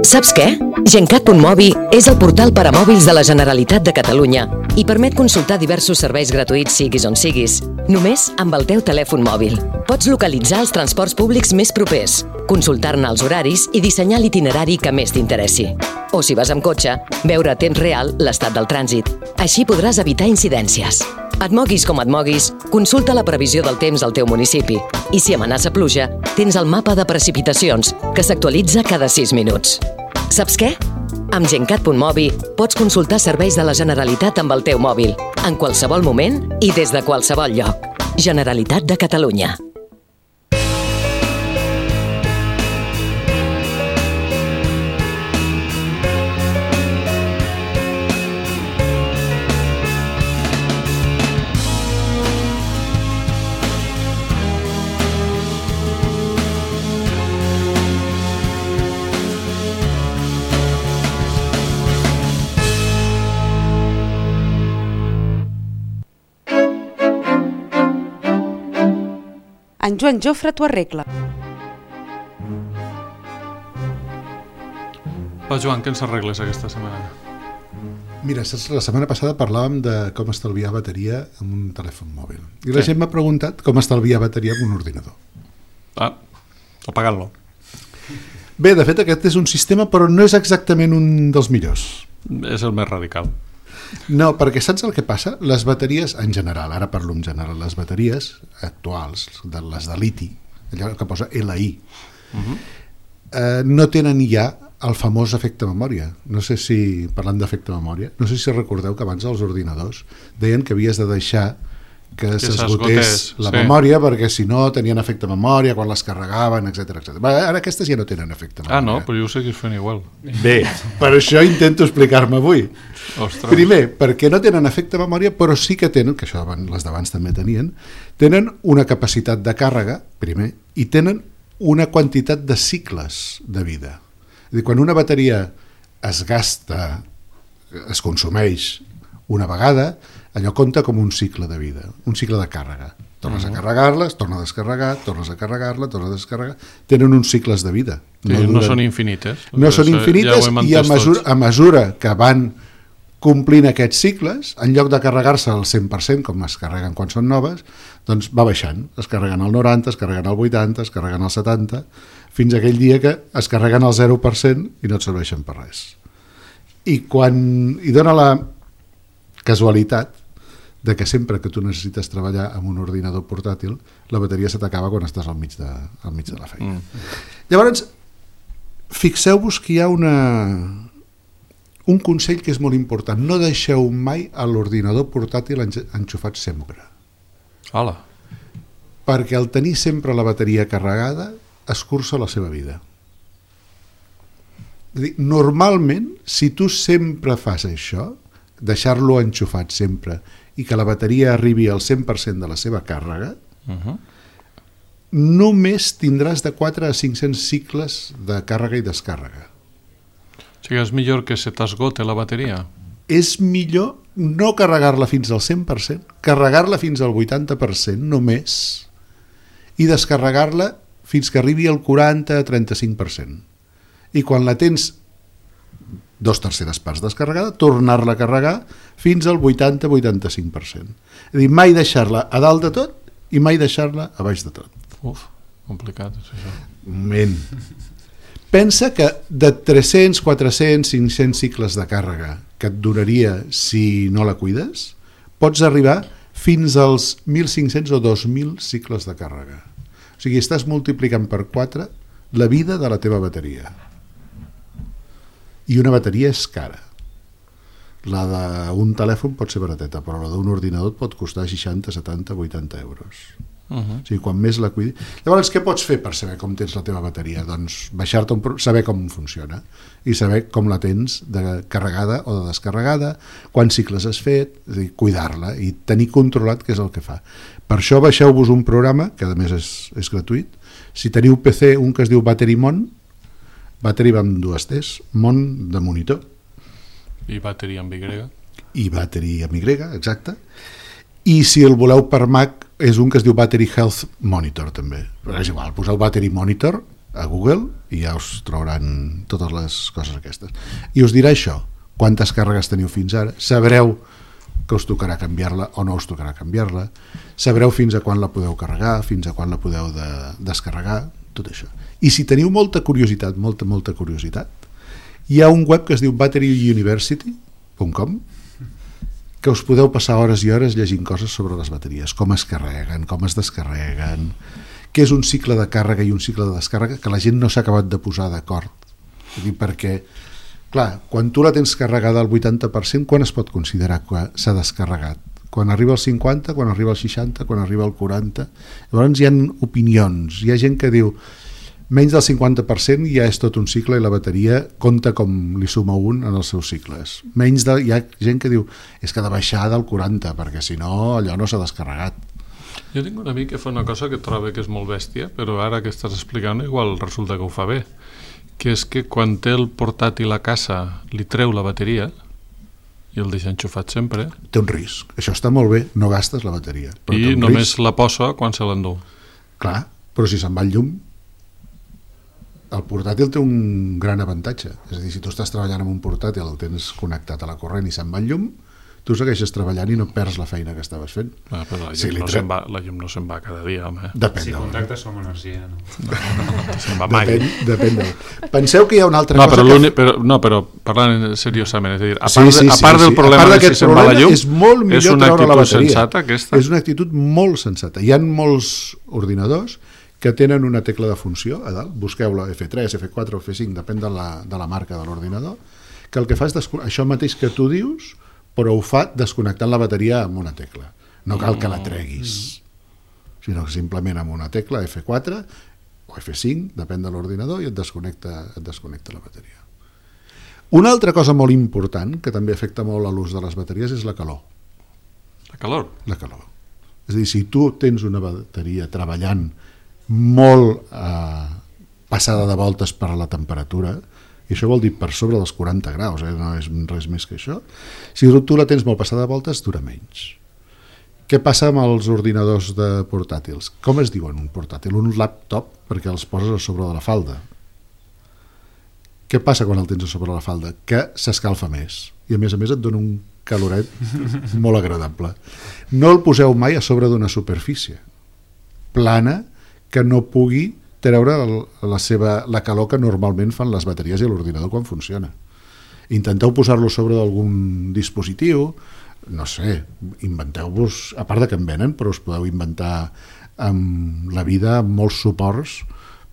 Saps què? Gencat punt mobi és el portal per a mòbils de la Generalitat de Catalunya i permet consultar diversos serveis gratuïts siguis on siguis, només amb el teu telèfon mòbil. Pots localitzar els transports públics més propers, consultar-ne els horaris i dissenyar l'itinerari que més t'interessi. O si vas amb cotxe, veure a temps real l'estat del trànsit. Així podràs evitar incidències. Et moguis com et moguis, consulta la previsió del temps al teu municipi i si amenaça pluja, tens el mapa de precipitacions, que s'actualitza cada sis minuts. Saps què? Amb Gencat punt mobi pots consultar serveis de la Generalitat amb el teu mòbil, en qualsevol moment i des de qualsevol lloc. Generalitat de Catalunya.
En Joan Jofre t'ho arregla.
Va, Joan, què ens arregles aquesta setmana?
Mira, la setmana passada parlàvem de com estalviar bateria en un telèfon mòbil. I la sí. gent m'ha preguntat com estalviar bateria en un ordinador.
Ah, apagant-lo.
Bé, de fet, aquest és un sistema, però no és exactament un dels millors.
És el més radical.
No, perquè saps el que passa? Les bateries, en general, ara parlo en general, les bateries actuals, de les de liti, allò que posa L I, uh-huh. eh, no tenen ja el famós efecte memòria. No sé si, parlant d'efecte memòria, no sé si recordeu que abans els ordinadors deien que havies de deixar que, que s'esgotés la sí. memòria, perquè si no tenien efecte memòria quan les carregaven, etcètera, etcètera. Ara aquestes ja no tenen efecte memòria.
Ah, no? Però jo ho seguis fent igual.
Bé, per això intento explicar-me avui.
Ostres.
Primer, perquè no tenen efecte memòria, però sí que tenen, que això les d'abans també tenien, tenen una capacitat de càrrega, primer, i tenen una quantitat de cicles de vida. És a dir, quan una bateria es gasta, es consumeix una vegada, allò compta com un cicle de vida, un cicle de càrrega. Tornes uh-huh. a carregar-les, tornes a descarregar, tornes a carregar-la, tornes a descarregar. Tenen uns cicles de vida.
Sí, no, no són infinites.
No són infinites ja i a mesura, a mesura que van complint aquests cicles, en lloc de carregar-se al cent per cent, com es carreguen quan són noves, doncs va baixant. Es carreguen al noranta, es carreguen al vuitanta, es carreguen al setanta, fins a aquell dia que es carreguen al zero per cent i no et serveixen per res. I quan hi dona la casualitat de que sempre que tu necessites treballar amb un ordinador portàtil, la bateria se t'acaba quan estàs al mig de, al mig de la feina. Mm. Llavors, fixeu-vos que hi ha una, un consell que és molt important. No deixeu mai a l'ordinador portàtil enxufat sempre.
Hola.
Perquè al tenir sempre la bateria carregada, escurça la seva vida. És a dir, normalment, si tu sempre fas això, deixar-lo enxufat sempre i que la bateria arribi al cent per cent de la seva càrrega, uh-huh. només tindràs de quatre a cinc-cents cicles de càrrega i descàrrega.
O sigui, és millor que se t'esgote la bateria?
És millor no carregar-la fins al cent per cent, carregar-la fins al vuitanta per cent només i descarregar-la fins que arribi al quaranta a trenta-cinc per cent. I quan la tens dos terceres parts descarregada, tornar-la a carregar fins al vuitanta a vuitanta-cinc per cent. És a dir, mai deixar-la a dalt de tot i mai deixar-la a baix de tot.
Uf, complicat és això.
Un moment. Pensa que de tres-cents, quatre-cents, cinc-cents cicles de càrrega que et duraria si no la cuides, pots arribar fins als mil cinc-cents o dos mil cicles de càrrega. O sigui, estàs multiplicant per quatre la vida de la teva bateria. I una bateria és cara. La d'un telèfon pot ser barateta, però la d'un ordinador pot costar seixanta, setanta, vuitanta euros. Uh-huh. O sigui, quan més la cuidi... Llavors, què pots fer per saber com tens la teva bateria? Doncs baixar-te un... saber com funciona i saber com la tens de carregada o de descarregada, quants cicles has fet, és a dir, cuidar-la i tenir controlat què és el que fa. Per això baixeu-vos un programa, que a més és, és gratuït. Si teniu P C, un que es diu BatteryMon, Battery va amb dues T's, Mon de monitor.
I Battery amb Y.
I Battery amb Y, exacte. I si el voleu per Mac, és un que es diu Battery Health Monitor, també. Però és igual, poseu Battery Monitor a Google i ja us trobaran totes les coses aquestes. I us dirà això, quantes càrregues teniu fins ara, sabreu que us tocarà canviar-la o no us tocarà canviar-la, sabreu fins a quan la podeu carregar, fins a quan la podeu de descarregar, tot això. I si teniu molta curiositat, molta, molta curiositat, hi ha un web que es diu battery university punt com que us podeu passar hores i hores llegint coses sobre les bateries, com es carreguen, com es descarreguen, què és un cicle de càrrega i un cicle de descàrrega, que la gent no s'ha acabat de posar d'acord. Perquè, clar, quan tu la tens carregada al vuitanta per cent, quan es pot considerar que s'ha descarregat? Quan arriba al cinquanta, quan arriba al seixanta, quan arriba al quaranta? Llavors hi ha opinions, hi ha gent que diu menys del cinquanta per cent ja és tot un cicle i la bateria compta com li suma un en els seus cicles. Menys de, hi ha gent que diu és que ha de baixar del quaranta perquè si no allò no s'ha descarregat.
Jo tinc un amic que fa una cosa que trobo que és molt bèstia, però ara que estàs explicant igual resulta que ho fa bé, que és que quan té el portàtil a casa li treu la bateria i el deixa enxufat sempre.
Té un risc, això està molt bé, no gastes la bateria.
I només risc. La posa quan se l'endú.
Clar, però si se'n va el llum, el portàtil té un gran avantatge. És a dir, si tu estàs treballant amb un portàtil, el tens connectat a la corrent i se'n va el llum, tu segueixes treballant i no perds la feina que estaves fent.
Ah, però la llum,
si
no tre... va, la llum no se'n va cada dia, home.
Depèn
si
del...
contactes som energia, no?
No, no, no se'n va mai.
Depèn, depèn del... Penseu que hi ha una altra
no,
cosa...
Però
que...
però, no, però parlant seriosament, és a dir, a part,
sí, sí,
de, a part
sí,
del
sí.
problema
part
de si se'n va la llum,
és molt millor
és una
treure la
actitud
bateria.
sensata, aquesta?
És una actitud molt sensata. Hi ha molts ordinadors que tenen una tecla de funció a dalt, busqueu-la F tres, F quatre o F cinc, depèn de la, de la marca de l'ordinador, que el que fa és descon... això mateix que tu dius, però ho fa desconnectant la bateria amb una tecla. No cal que la treguis, sinó que simplement amb una tecla F quatre o F cinc, depèn de l'ordinador, i et desconnecta, et desconnecta la bateria. Una altra cosa molt important, que també afecta molt a l'ús de les bateries, és la calor.
La calor?
La calor. És a dir, si tu tens una bateria treballant molt eh, passada de voltes per a la temperatura, i això vol dir per sobre dels quaranta graus, eh? No és res més que això, si tu la tens molt passada de voltes, dura menys. Què passa amb els ordinadors de portàtils? Com es diuen un portàtil? Un laptop, perquè els poses a sobre de la falda. Què passa quan el tens a sobre de la falda? Que s'escalfa més, i a més a més et dona un caloret molt agradable. No el poseu mai a sobre d'una superfície plana que no pugui treure la, seva, la calor que normalment fan les bateries i l'ordinador quan funciona. Intenteu posar-lo sobre d'algun dispositiu, no sé, inventeu-vos, a part de que en venen, però us podeu inventar amb la vida molts suports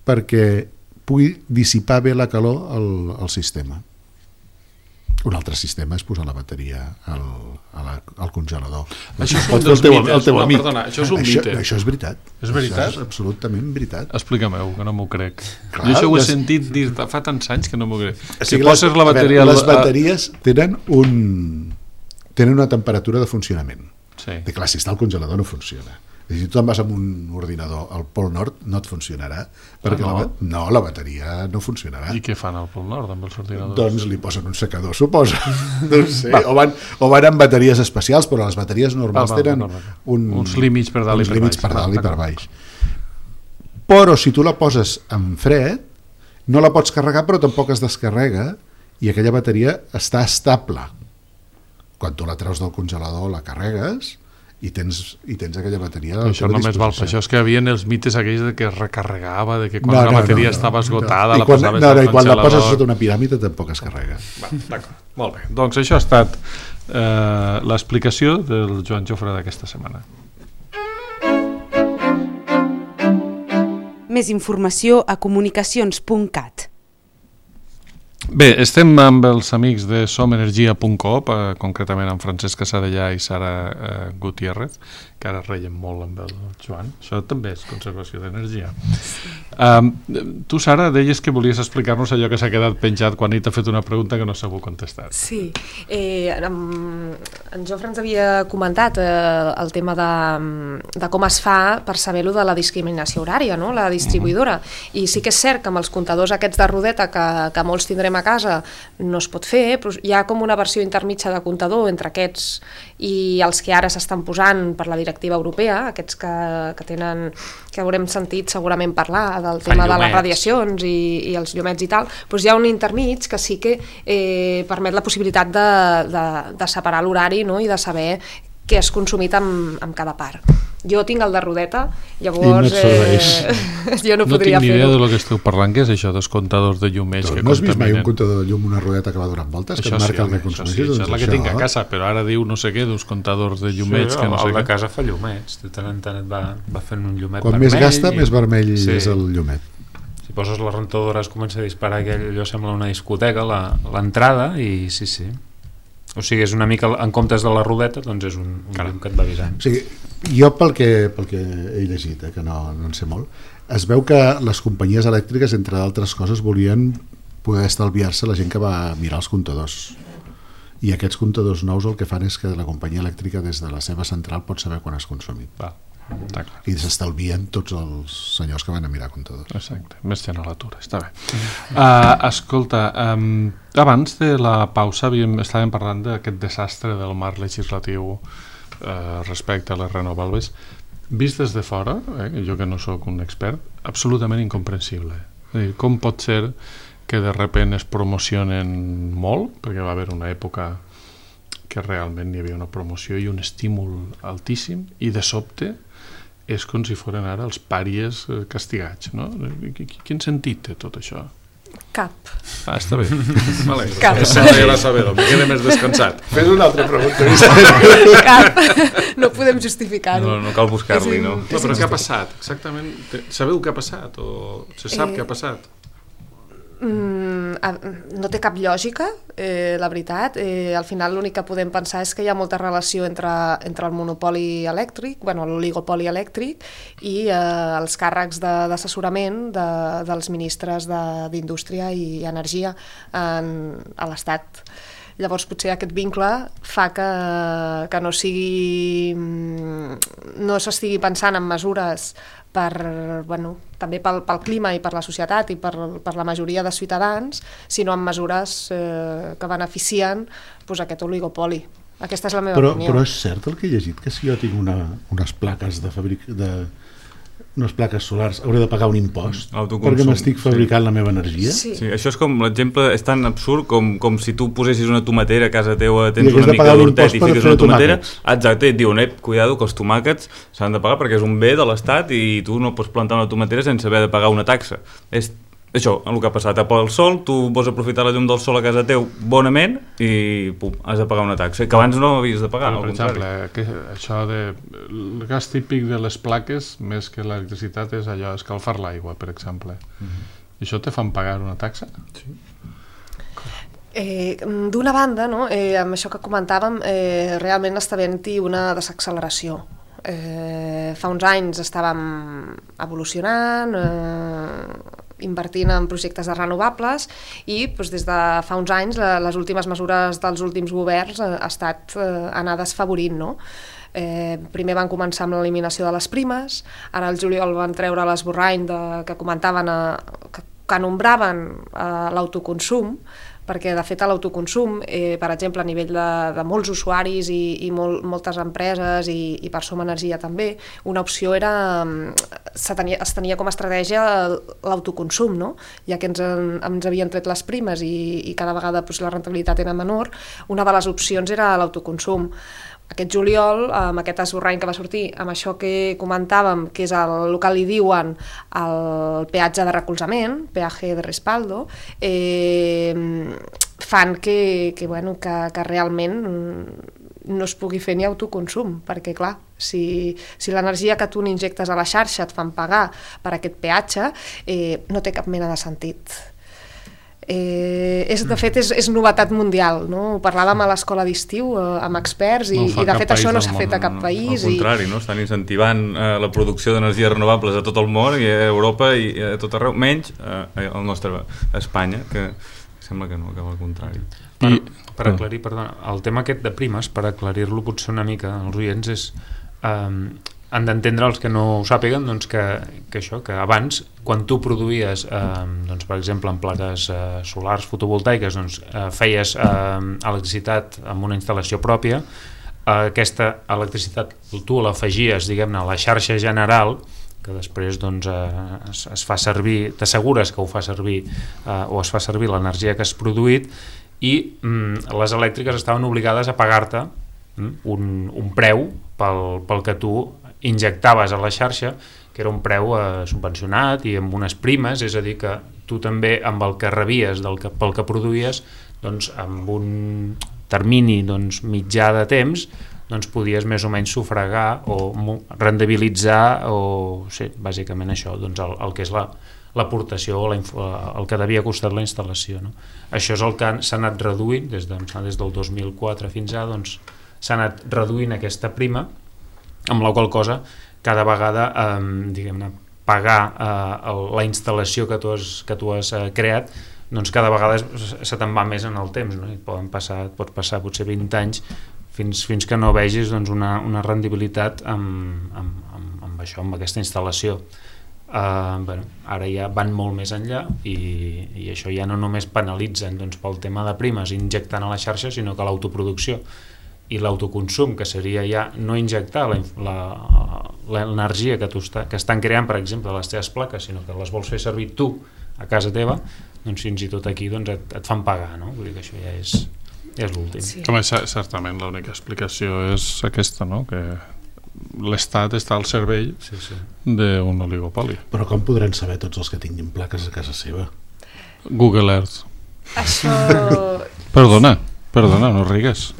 perquè pugui dissipar bé la calor al, al sistema. Un altre sistema és posar la bateria al, a la, al congelador.
Això és un dels
teu,
mites.
el teu
no,
amic.
perdona, això és un
això,
mite.
Això és veritat.
És veritat?
Això és absolutament veritat.
Explica-m'ho, que no m'ho crec.
Clar,
jo això ho he
les...
sentit dir fa tants anys que no m'ho crec.
O sigui,
si poses
les,
la bateria...
veure, les bateries tenen, un, tenen una temperatura de funcionament.
Sí.
I clar, si està al congelador no funciona. I si tu te'n vas amb un ordinador al Pol Nord no et funcionarà perquè
ah, no?
La, no, la bateria no funcionarà.
I què fan al Pol Nord amb els ordinadors?
Doncs li posen un secador, suposo. No sé. o, van, o van amb bateries especials, però les bateries normals ah, va, tenen va, va, va. Un,
uns límits per dalt i per
límits
baix.
Per dalt i per baix. Però si tu la poses en fred, no la pots carregar però tampoc es descarrega i aquella bateria està estable. Quan tu la treus del congelador la carregues i tens, i tens aquella bateria.
Això només val per això, és que hi havia els mites aquells de que es recarregava, de que quan
no,
la
no,
bateria
no, no,
estava esgotada
no.
la posaves
no, no,
al
i quan la poses
congelador.
sota una piràmide tampoc es carrega.
Va, d'acord, molt bé. Doncs això ha estat eh, l'explicació del Joan Jofre d'aquesta setmana.
Més informació a comunicacions punt cat.
Bé, estem amb els amics de som energia punt com, eh, concretament amb Francesc Casadellà i Sara eh, Gutiérrez, que ara reiem molt amb el Joan. Això també és conservació d'energia. Um, tu, Sara, deies que volies explicar-nos allò que s'ha quedat penjat quan ell t'ha fet una pregunta que no s'ha contestat.
Sí, eh, en, en Jofre ens havia comentat eh, el tema de, de com es fa per saber-lo de la discriminació horària, no? La distribuïdora. Uh-huh. I sí que és cert que amb els comptadors aquests de rodeta que, que molts tindrem a casa no es pot fer, però hi ha com una versió intermitja de comptador entre aquests i els que ara s'estan posant per la directiva europea, aquests que, que tenen, que haurem sentit segurament parlar del tema de les radiacions i, i els llumets i tal, doncs hi ha un intermig que sí que eh, permet la possibilitat de, de, de separar l'horari, no? I de saber què has consumit amb, amb cada part. Jo tinc el de rodeta, llavors
no eh,
jo no,
no
podria fer-ho.
No tinc ni idea del que esteu parlant, que és això dels comptadors de llumets que
no has vist mai un
contaminen.
comptador de llum, una rodeta que va donant voltes,
això
que et marca
sí,
el que
això
consumeixes?
Sí, això
doncs
és la que
això...
tinc a casa, però ara diu no sé què, d'uns comptadors de llumets
sí,
que no sé
el de
què.
casa fa llumets, de tant en tant et va, va fent un llumet
Quan
vermell.
Quan més gasta,
i...
més vermell
sí.
és el llumet.
Si poses la rentadora es comença a disparar aquell, allò sembla una discoteca, l'entrada, i sí, sí. O sigui, és una mica, en comptes de la rodeta, doncs és un, un llum que et va avisant.
O sigui, jo pel que, pel que he llegit, eh, que no, no en sé molt, es veu que les companyies elèctriques, entre d'altres coses, volien poder estalviar-se la gent que va mirar els comptadors. I aquests comptadors nous el que fan és que la companyia elèctrica des de la seva central pot saber quan has consumit.
Va.
I s'estalvien tots els senyors que van a mirar comptadors.
Exacte, més gent a l'atura, està bé. Uh, escolta, um, abans de la pausa havíem, estàvem parlant d'aquest desastre del marc legislatiu uh, respecte a les renovables. vist des de fora, eh, jo que no sóc un expert, absolutament incomprensible. És a dir, com pot ser que de repent es promocionen molt, perquè va haver una època que realment hi havia una promoció i un estímul altíssim, i de sobte és com si foren ara els pàries castigats, no? Quin sentit té tot això?
Cap.
Ah, està bé. Vale.
Cap.
M'agrada saber-ho, em queda més descansat.
Fes una altra pregunta.
Cap. No podem justificar-ho.
No, no cal buscar-li, no?
No, però què ha passat? Exactament. Sabeu què ha passat? O se sap eh... què ha passat?
Mm, no té cap lògica, eh, la veritat. Eh, al final l'únic que podem pensar és que hi ha molta relació entre, entre el monopoli elèctric, bueno, l'oligopoli elèctric i eh, els càrrecs d'assessorament de, de, dels ministres d'Indústria i Energia en, a l'Estat. Llavors potser aquest vincle fa que, que no sigui, no s'estigui pensant en mesures per, bueno, també pel, pel clima i per la societat i per, per la majoria de ciutadans, sinó en mesures eh, que beneficien pues, aquest oligopoli. Aquesta és la meva
però,
opinió.
Però és cert el que he llegit, que si jo tinc una, unes plaques de fabric... de unes plaques solars, hauré de pagar un impost perquè m'estic fabricant sí. la meva energia?
Sí. Sí, això és com, l'exemple és tan absurd com, com si tu posessis una tomatera a casa teua, tens una mica d'hortet i fiques una tomatera, exacte, et diuen, eh, cuidado, que els tomàquets s'han de pagar perquè és un bé de l'Estat i tu no pots plantar una tomatera sense haver de pagar una taxa. És això, el que ha passat, a el sol, tu vols aprofitar la llum del sol a casa teu bonament i pum, has de pagar una taxa, que abans no havies de pagar.
Però, per exemple, que això de... el gas típic de les plaques, més que l'electricitat, és allò, escalfar l'aigua, per exemple. Uh-huh. I això te fan pagar una taxa?
Sí.
Eh, D'una banda, no, eh, amb això que comentàvem, eh, realment està havent-hi una desacceleració. Eh, fa uns anys estàvem evolucionant, eh, invertint en projectes de renovables i doncs, des de fa uns anys la, les últimes mesures dels últims governs ha, ha estat eh, anar desfavorint, no? Eh, primer van començar amb l'eliminació de les primes, ara al juliol van treure l'esborrany de, que comentaven a, que, que nombraven eh, l'autoconsum, perquè de fet l'autoconsum, eh, per exemple a nivell de, de molts usuaris i, i molt, moltes empreses i, i per Som Energia també, una opció era, se tenia, es tenia com a estratègia l'autoconsum, no? Ja que ens, ens havien tret les primes i, i cada vegada doncs, la rentabilitat era menor, una de les opcions era l'autoconsum. Aquest juliol, amb aquest esborrany que va sortir, amb això que comentàvem, que és el, el que li diuen el peatge de recolzament, peaje de respaldo, eh, fan que, que, bueno, que, que realment no es pugui fer ni autoconsum, perquè clar, si, si l'energia que tu n'injectes a la xarxa et fan pagar per aquest peatge, eh, no té cap mena de sentit. Eh, és, de fet és, és novetat mundial, no? Ho parlàvem a l'escola d'estiu eh, amb experts i, no i de fet això no s'ha fet a cap país.
Al contrari, no? Estan incentivant eh, la producció d'energies renovables a tot el món i a Europa i a tot arreu, menys eh, el nostre Espanya, que sembla que no, que al contrari.
Per, per aclarir, perdona, el tema aquest de primes, per aclarir-lo potser una mica als oients, és eh, han d'entendre els que no ho sàpiguen doncs que, que això, que abans quan tu produïes eh, doncs, per exemple en plaques eh, solars fotovoltaiques doncs, eh, feies eh, electricitat amb una instal·lació pròpia, eh, aquesta electricitat tu l'afegies diguem-ne a la xarxa general que després doncs, eh, es, es fa servir, t'assegures que ho fa servir eh, o es fa servir l'energia que has produït i mm, les elèctriques estaven obligades a pagar-te mm, un, un preu pel, pel que tu injectaves a la xarxa, que era un preu eh, subvencionat i amb unes primes, és a dir que tu també amb el que rebies del que, pel que produïes, doncs amb un termini doncs, mitjà de temps, doncs podies més o menys sufragar o rendibilitzar o sí, bàsicament això, doncs el, el que és la l'aportació o la, el que devia costar la instal·lació. No? Això és el que s'ha anat reduint des, de, des del dos mil quatre fins ara, doncs s'ha anat reduint aquesta prima, amb la qual cosa cada vegada eh, diguem-ne, pagar eh, la instal·lació que tu has, que tu has eh, creat doncs cada vegada se te'n va més en el temps, no? I poden passar, pot passar potser vint anys fins, fins que no vegis doncs, una, una rendibilitat amb, amb, amb, amb això, amb aquesta instal·lació. Uh, bueno, ara ja van molt més enllà i, i això ja no només penalitzen doncs, pel tema de primes injectant a la xarxa, sinó que l'autoproducció i l'autoconsum, que seria ja no injectar l'energia que, que estan creant, per exemple, les teves plaques, sinó que les vols fer servir tu a casa teva, doncs fins i tot aquí doncs, et, et fan pagar, no? Vull dir que això ja és, ja és l'últim.
Sí. Com és, certament l'única explicació és aquesta, no? Que l'Estat està al servei sí, sí. d'un oligopoli.
Però com podran saber tots els que tinguin plaques a casa seva?
Google Earth.
Això...
Perdona, perdona, no rigues.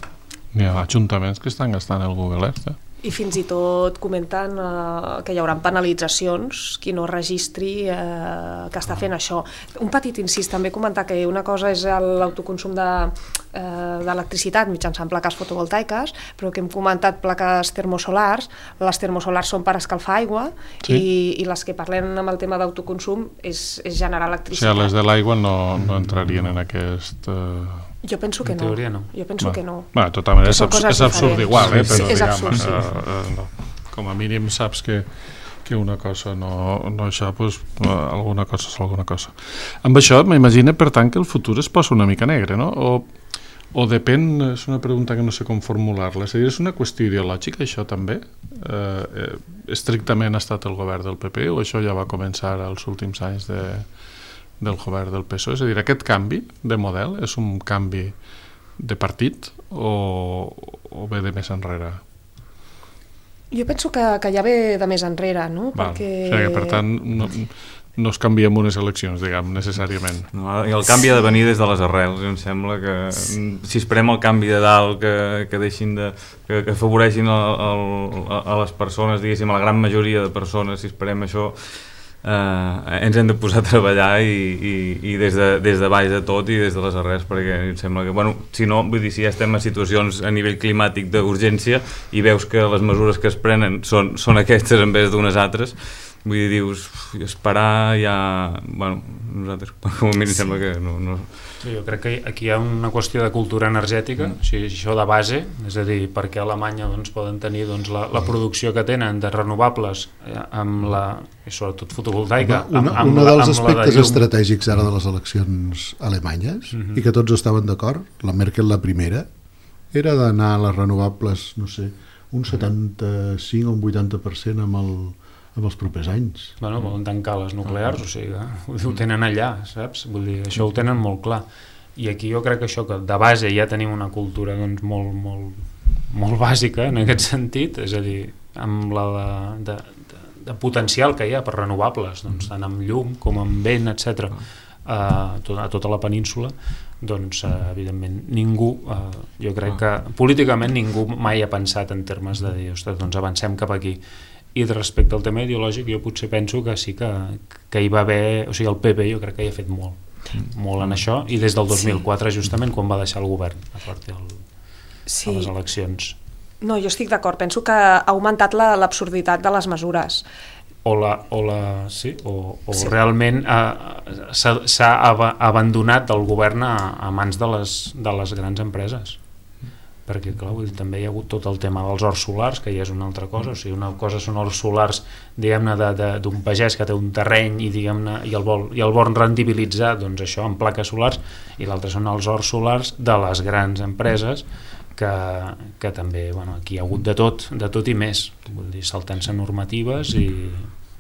Hi ha ajuntaments que estan gastant el Google Earth. Eh?
I fins i tot comenten eh, que hi haurà penalitzacions qui no registri eh, que està fent això. Un petit incís, també comentar que una cosa és l'autoconsum d'electricitat de, eh, mitjançant plaques fotovoltaiques, però que hem comentat plaques termosolars. Les termosolars són per escalfar aigua sí. i, i les que parlem amb el tema d'autoconsum és, és generar electricitat.
O sigui, les de l'aigua no, no entrarien en aquest... Eh...
Jo penso que no.
no.
Jo penso
Va.
que no.
Va, de tota manera és, abs és absurd igual, eh? Però,
sí, és
diguem,
absurd, sí.
eh, eh, no. Com a mínim saps que, que una cosa no, no això, doncs, alguna cosa és alguna cosa. Amb això m'imagino, per tant, que el futur es posa una mica negre, no? O, o depèn, és una pregunta que no sé com formular-la, és a dir, és una qüestió ideològica, això també? Eh, eh, estrictament ha estat el govern del P P o això ja va començar als últims anys de... del govern del P S O E, és a dir, aquest canvi de model és un canvi de partit o, o ve de més enrere?
Jo penso que, que ja ve de més enrere, no?
Val.
Perquè...
O sigui, per tant, no, no es canvia en unes eleccions, diguem, necessàriament.
No, i el canvi ha de venir des de les arrels, em sembla que si esperem el canvi de dalt, que, que deixin de... que, que afavoreixin el, el, a les persones, diguéssim, a la gran majoria de persones, si esperem això... Uh, ens hem de posar a treballar i, i, i des, de, des de baix de tot i des de les arrels, perquè em sembla que, bueno, si no, vull dir, si ja estem en situacions a nivell climàtic d'urgència i veus que les mesures que es prenen són, són aquestes en vez d'unes altres, vull dir, dius, esperar ja... Bueno, nosaltres, com a mi em sembla que no... no...
Sí, jo crec que aquí hi ha una qüestió de cultura energètica, mm. o sigui, això de base, és a dir, perquè a Alemanya doncs, poden tenir doncs, la, la producció que tenen de renovables eh, amb la, i sobretot fotovoltaica,
una,
amb, amb,
un dels
amb
aspectes
de
estratègics ara de les eleccions alemanyes, mm -hmm. i que tots estaven d'acord, la Merkel la primera, era d'anar a les renovables, no sé, un setanta-cinc o un vuitanta per cent amb el en els propers anys.
Bueno, volen tancar les nuclears, o sigui, ho tenen allà, saps? Vull dir, això ho tenen molt clar. I aquí jo crec que això, que de base ja tenim una cultura doncs, molt, molt, molt bàsica en aquest sentit, és a dir, amb la de, de, de, de potencial que hi ha per renovables, doncs, tant amb llum com amb vent, etcètera, a, a tota la península, doncs, eh, evidentment, ningú, eh, jo crec que políticament ningú mai ha pensat en termes de dir, ostres, doncs avancem cap aquí. I respecte al tema ideològic jo potser penso que sí que, que hi va haver, o sigui el P P jo crec que hi ha fet molt, molt en això, i des del dos mil quatre sí. justament quan va deixar el govern a partir del, sí. de les eleccions.
No, jo estic d'acord, penso que ha augmentat l'absurditat la, de les mesures.
O, la, o, la, sí, o, o sí. realment eh, s'ha ab abandonat el govern a, a mans de les, de les grans empreses. Perquè clar, vull dir, també hi ha hagut tot el tema dels horts solars, que ja és una altra cosa, o sigui, una cosa són horts solars, diguem-ne, d'un pagès que té un terreny i, diguem-ne, i el vol, i el vol rendibilitzar, doncs això, amb plaques solars, i l'altre són els horts solars de les grans empreses, que, que també, bueno, aquí hi ha hagut de tot, de tot i més, vull dir, saltant-se normatives i...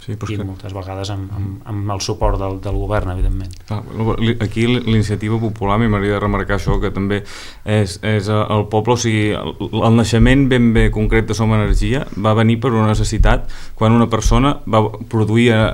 Sí, i que... moltes vegades amb, amb, amb el suport del, del govern, evidentment.
Ah, aquí l'iniciativa popular, m'agradaria remarcar això, que també és, és el poble, o sigui, el, el naixement ben bé concret de Som Energia va venir per una necessitat quan una persona va produir eh,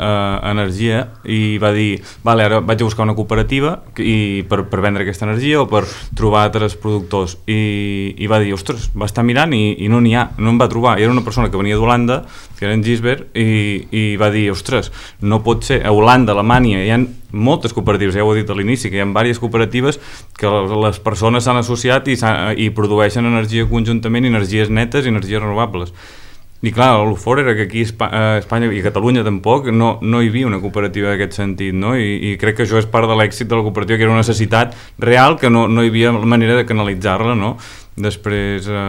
energia i va dir, vale, ara vaig a buscar una cooperativa i per, per vendre aquesta energia o per trobar altres productors i, i va dir, ostres, va estar mirant i, i no n'hi ha, no en va trobar, i era una persona que venia d'Holanda, que era en Gisbert, i, i va dir, ostres, no pot ser, a Holanda, Alemanya, hi ha moltes cooperatives, ja ho he dit a l'inici, que hi ha diverses cooperatives que les persones s'han associat i, i produeixen energia conjuntament, energies netes i energies renovables. I clar, el fort era que aquí a Espanya i a Catalunya tampoc no, no hi havia una cooperativa d'aquest sentit, no? I, i crec que això és part de l'èxit de la cooperativa, que era una necessitat real que no, no hi havia manera de canalitzar-la, no? després eh,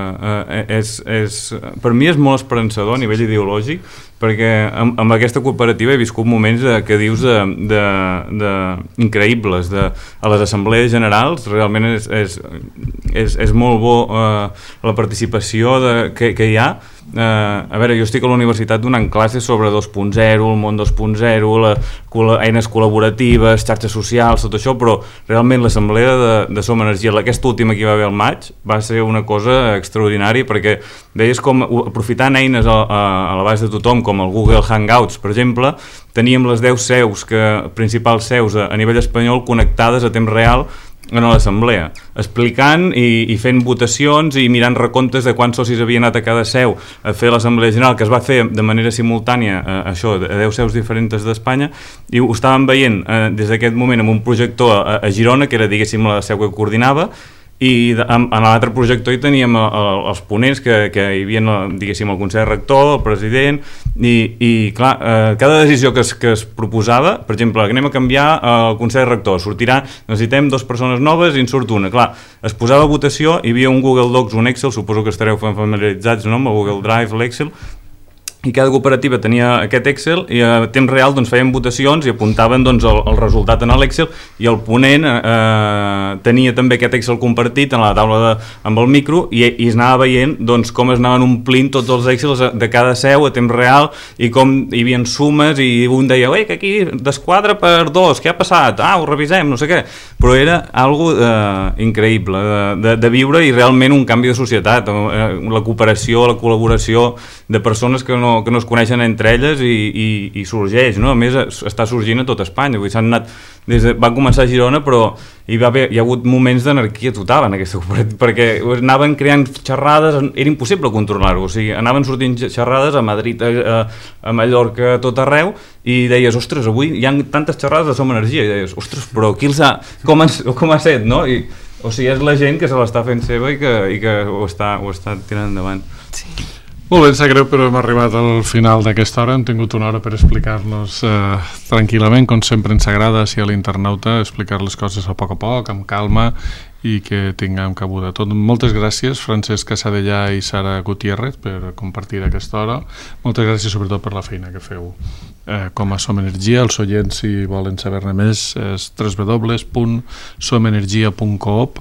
eh, és, és, per mi és molt esperançador a nivell ideològic, perquè amb, amb aquesta cooperativa he viscut moments de, que dius de, de, de increïbles de, a les assemblees generals. Realment és, és, és, és molt bo eh, la participació de, que, que hi ha. Eh, a veure, jo estic a la universitat donant classes sobre dos punt zero, el món dos punt zero, la, col eines col·laboratives, xarxes socials, tot això, però realment l'assemblea de, de Som Energia, aquesta última que hi va haver al maig, va ser una cosa extraordinària, perquè veies com, aprofitant eines a, a, a l'abast de tothom, com el Google Hangouts, per exemple, teníem les deu seus, que, principals seus a, a nivell espanyol, connectades a temps real en l'assemblea, explicant i, i fent votacions i mirant recomptes de quants socis havien anat a cada seu a fer l'assemblea general, que es va fer de manera simultània, eh, això, a deu seus diferents d'Espanya, i ho estàvem veient eh, des d'aquest moment amb un projector a, a Girona, que era, diguéssim, la seu que coordinava, i en, en l'altre projector hi teníem el, el, els ponents que, que hi havia, diguéssim, el Consell Rector, el president, i, i clar, eh, cada decisió que es, que es proposava, per exemple, que anem a canviar el Consell Rector, sortirà, necessitem dues persones noves i en surt una, clar, es posava a votació, hi havia un Google Docs, un Excel, suposo que estareu familiaritzats, no?, amb el Google Drive, l'Excel, i cada cooperativa tenia aquest Excel i a temps real doncs, feien votacions i apuntaven doncs, el, el resultat en l'Excel, i el ponent eh, tenia també aquest Excel compartit en la taula de, amb el micro, i, i es anava veient doncs, com es anaven omplint tots els Excels de cada seu a temps real, i com hi havia sumes, i un deia, oi, que aquí desquadra per dos, què ha passat? Ah, ho revisem, no sé què, però era algo eh, increïble de, de, de viure, i realment un canvi de societat, eh, la cooperació, la col·laboració de persones que no que no es coneixen entre elles, i, i, i sorgeix, no? A més està sorgint a tot Espanya, vull dir, s'han anat des de, va començar a Girona, però hi, va haver, hi ha hagut moments d'anarquia total en aquesta cooperativa, perquè anaven creant xerrades, era impossible controlar-ho, o sigui, anaven sortint xerrades a Madrid, a, a Mallorca, a tot arreu, i deies, ostres, avui hi ha tantes xerrades de Som Energia, i deies, ostres, però qui els ha, com, han, com ha set, no? I, o sigui, és la gent que se l'està fent seva i que, i que ho, està, ho està tirant endavant.
Sí.
Molt bé, em sap greu, però hem arribat al final d'aquesta hora. Hem tingut una hora per explicar-nos eh, tranquil·lament, com sempre ens agrada, si a l'internauta, explicar les coses a poc a poc, amb calma, i que tinguem cabuda tot. Moltes gràcies, Francesc Casadellà i Sara Gutiérrez, per compartir aquesta hora. Moltes gràcies sobretot per la feina que feu eh, com a Som Energia. Els oients, si volen saber-ne més, és w w w punt som energia punt coop,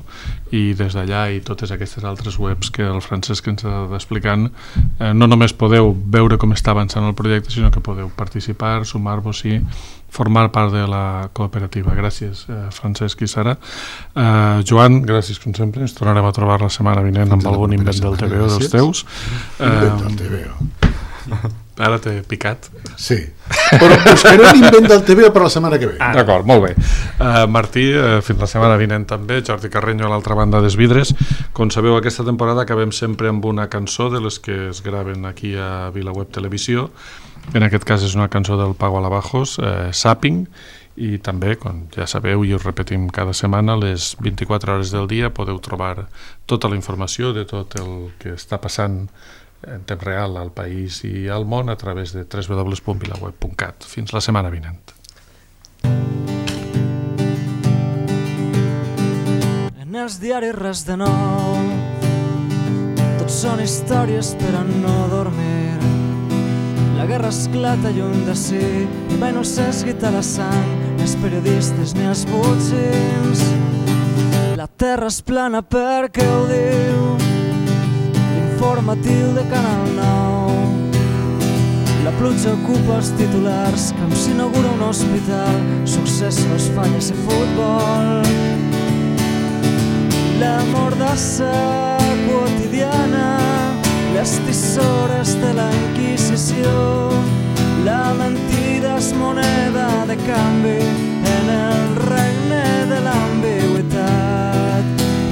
i des d'allà i totes aquestes altres webs que el Francesc ens ha anat explicant, eh, no només podeu veure com està avançant el projecte, sinó que podeu participar, sumar-vos i formar part de la cooperativa. Gràcies, eh, Francesc i Sara. Eh, Joan, gràcies com sempre. Ens tornarem a trobar la setmana vinent amb algun invent del T V O dels teus.
Invent del T V O.
Ara t'he picat.
Sí, però buscaré l'invent del T V O per la setmana que ve.
Ah. D'acord, molt bé. Uh, Martí, uh, fins la setmana vinent també. Jordi Carreño a l'altra banda dels vidres. Com sabeu, aquesta temporada acabem sempre amb una cançó de les que es graven aquí a VilaWeb Televisió. En aquest cas és una cançó del Pago Alabajos, eh, Zapping, i també, com ja sabeu i us repetim cada setmana, les vint-i-quatre hores del dia podeu trobar tota la informació de tot el que està passant en temps real al país i al món a través de w w w punt vilaweb punt cat. Fins la setmana vinent.
En els diaris res de nou, tots són històries per a no dormir. La guerra esclata lluny de si, i mai no s'esguita la sang, ni els periodistes ni els botzins. La terra és plana perquè ho diu l'informatiu de Canal nou. La pluja ocupa els titulars, com s'inaugura un hospital, successos, falles i futbol. La mordassa quotidiana, les tisores de la Inquisició, la mentida és moneda de canvi en el regne de l'ambigüitat.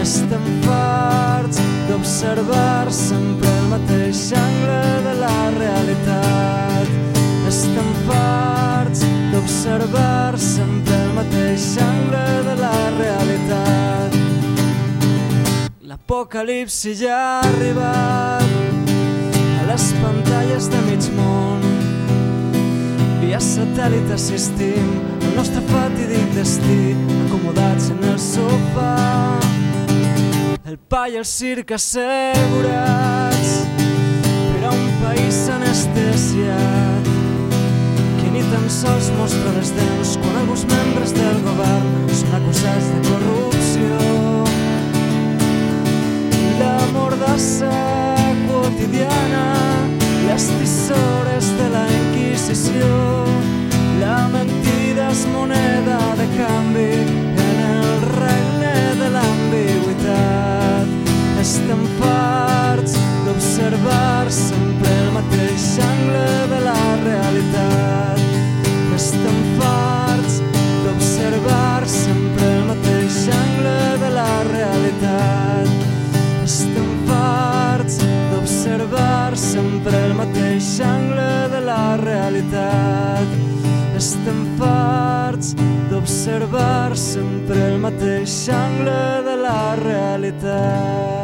Estem farts d'observar sempre el mateix angle de la realitat. Estem farts d'observar sempre el mateix angle de la realitat. L'apocalipsi ja ha arribat a les pantalles de mig món. Via satèl·lit assistim al nostre fatídic destí, acomodats en el sofà. el pa i el circ assegurats per a un país anestesiat que ni tan sols mostra les dents quan alguns membres del govern són acusats de corrupció. La mordassa quotidiana, les tisores de la Inquisició, la mentida és moneda de canvi en el regne de l'ambigüitat. Estem farts d'observar sempre el mateix angle de la realitat. Estem farts d'observar sempre el mateix angle de la realitat. Estem farts d'observar sempre el mateix angle de la realitat. Estem farts d'observar sempre el mateix angle de la realitat.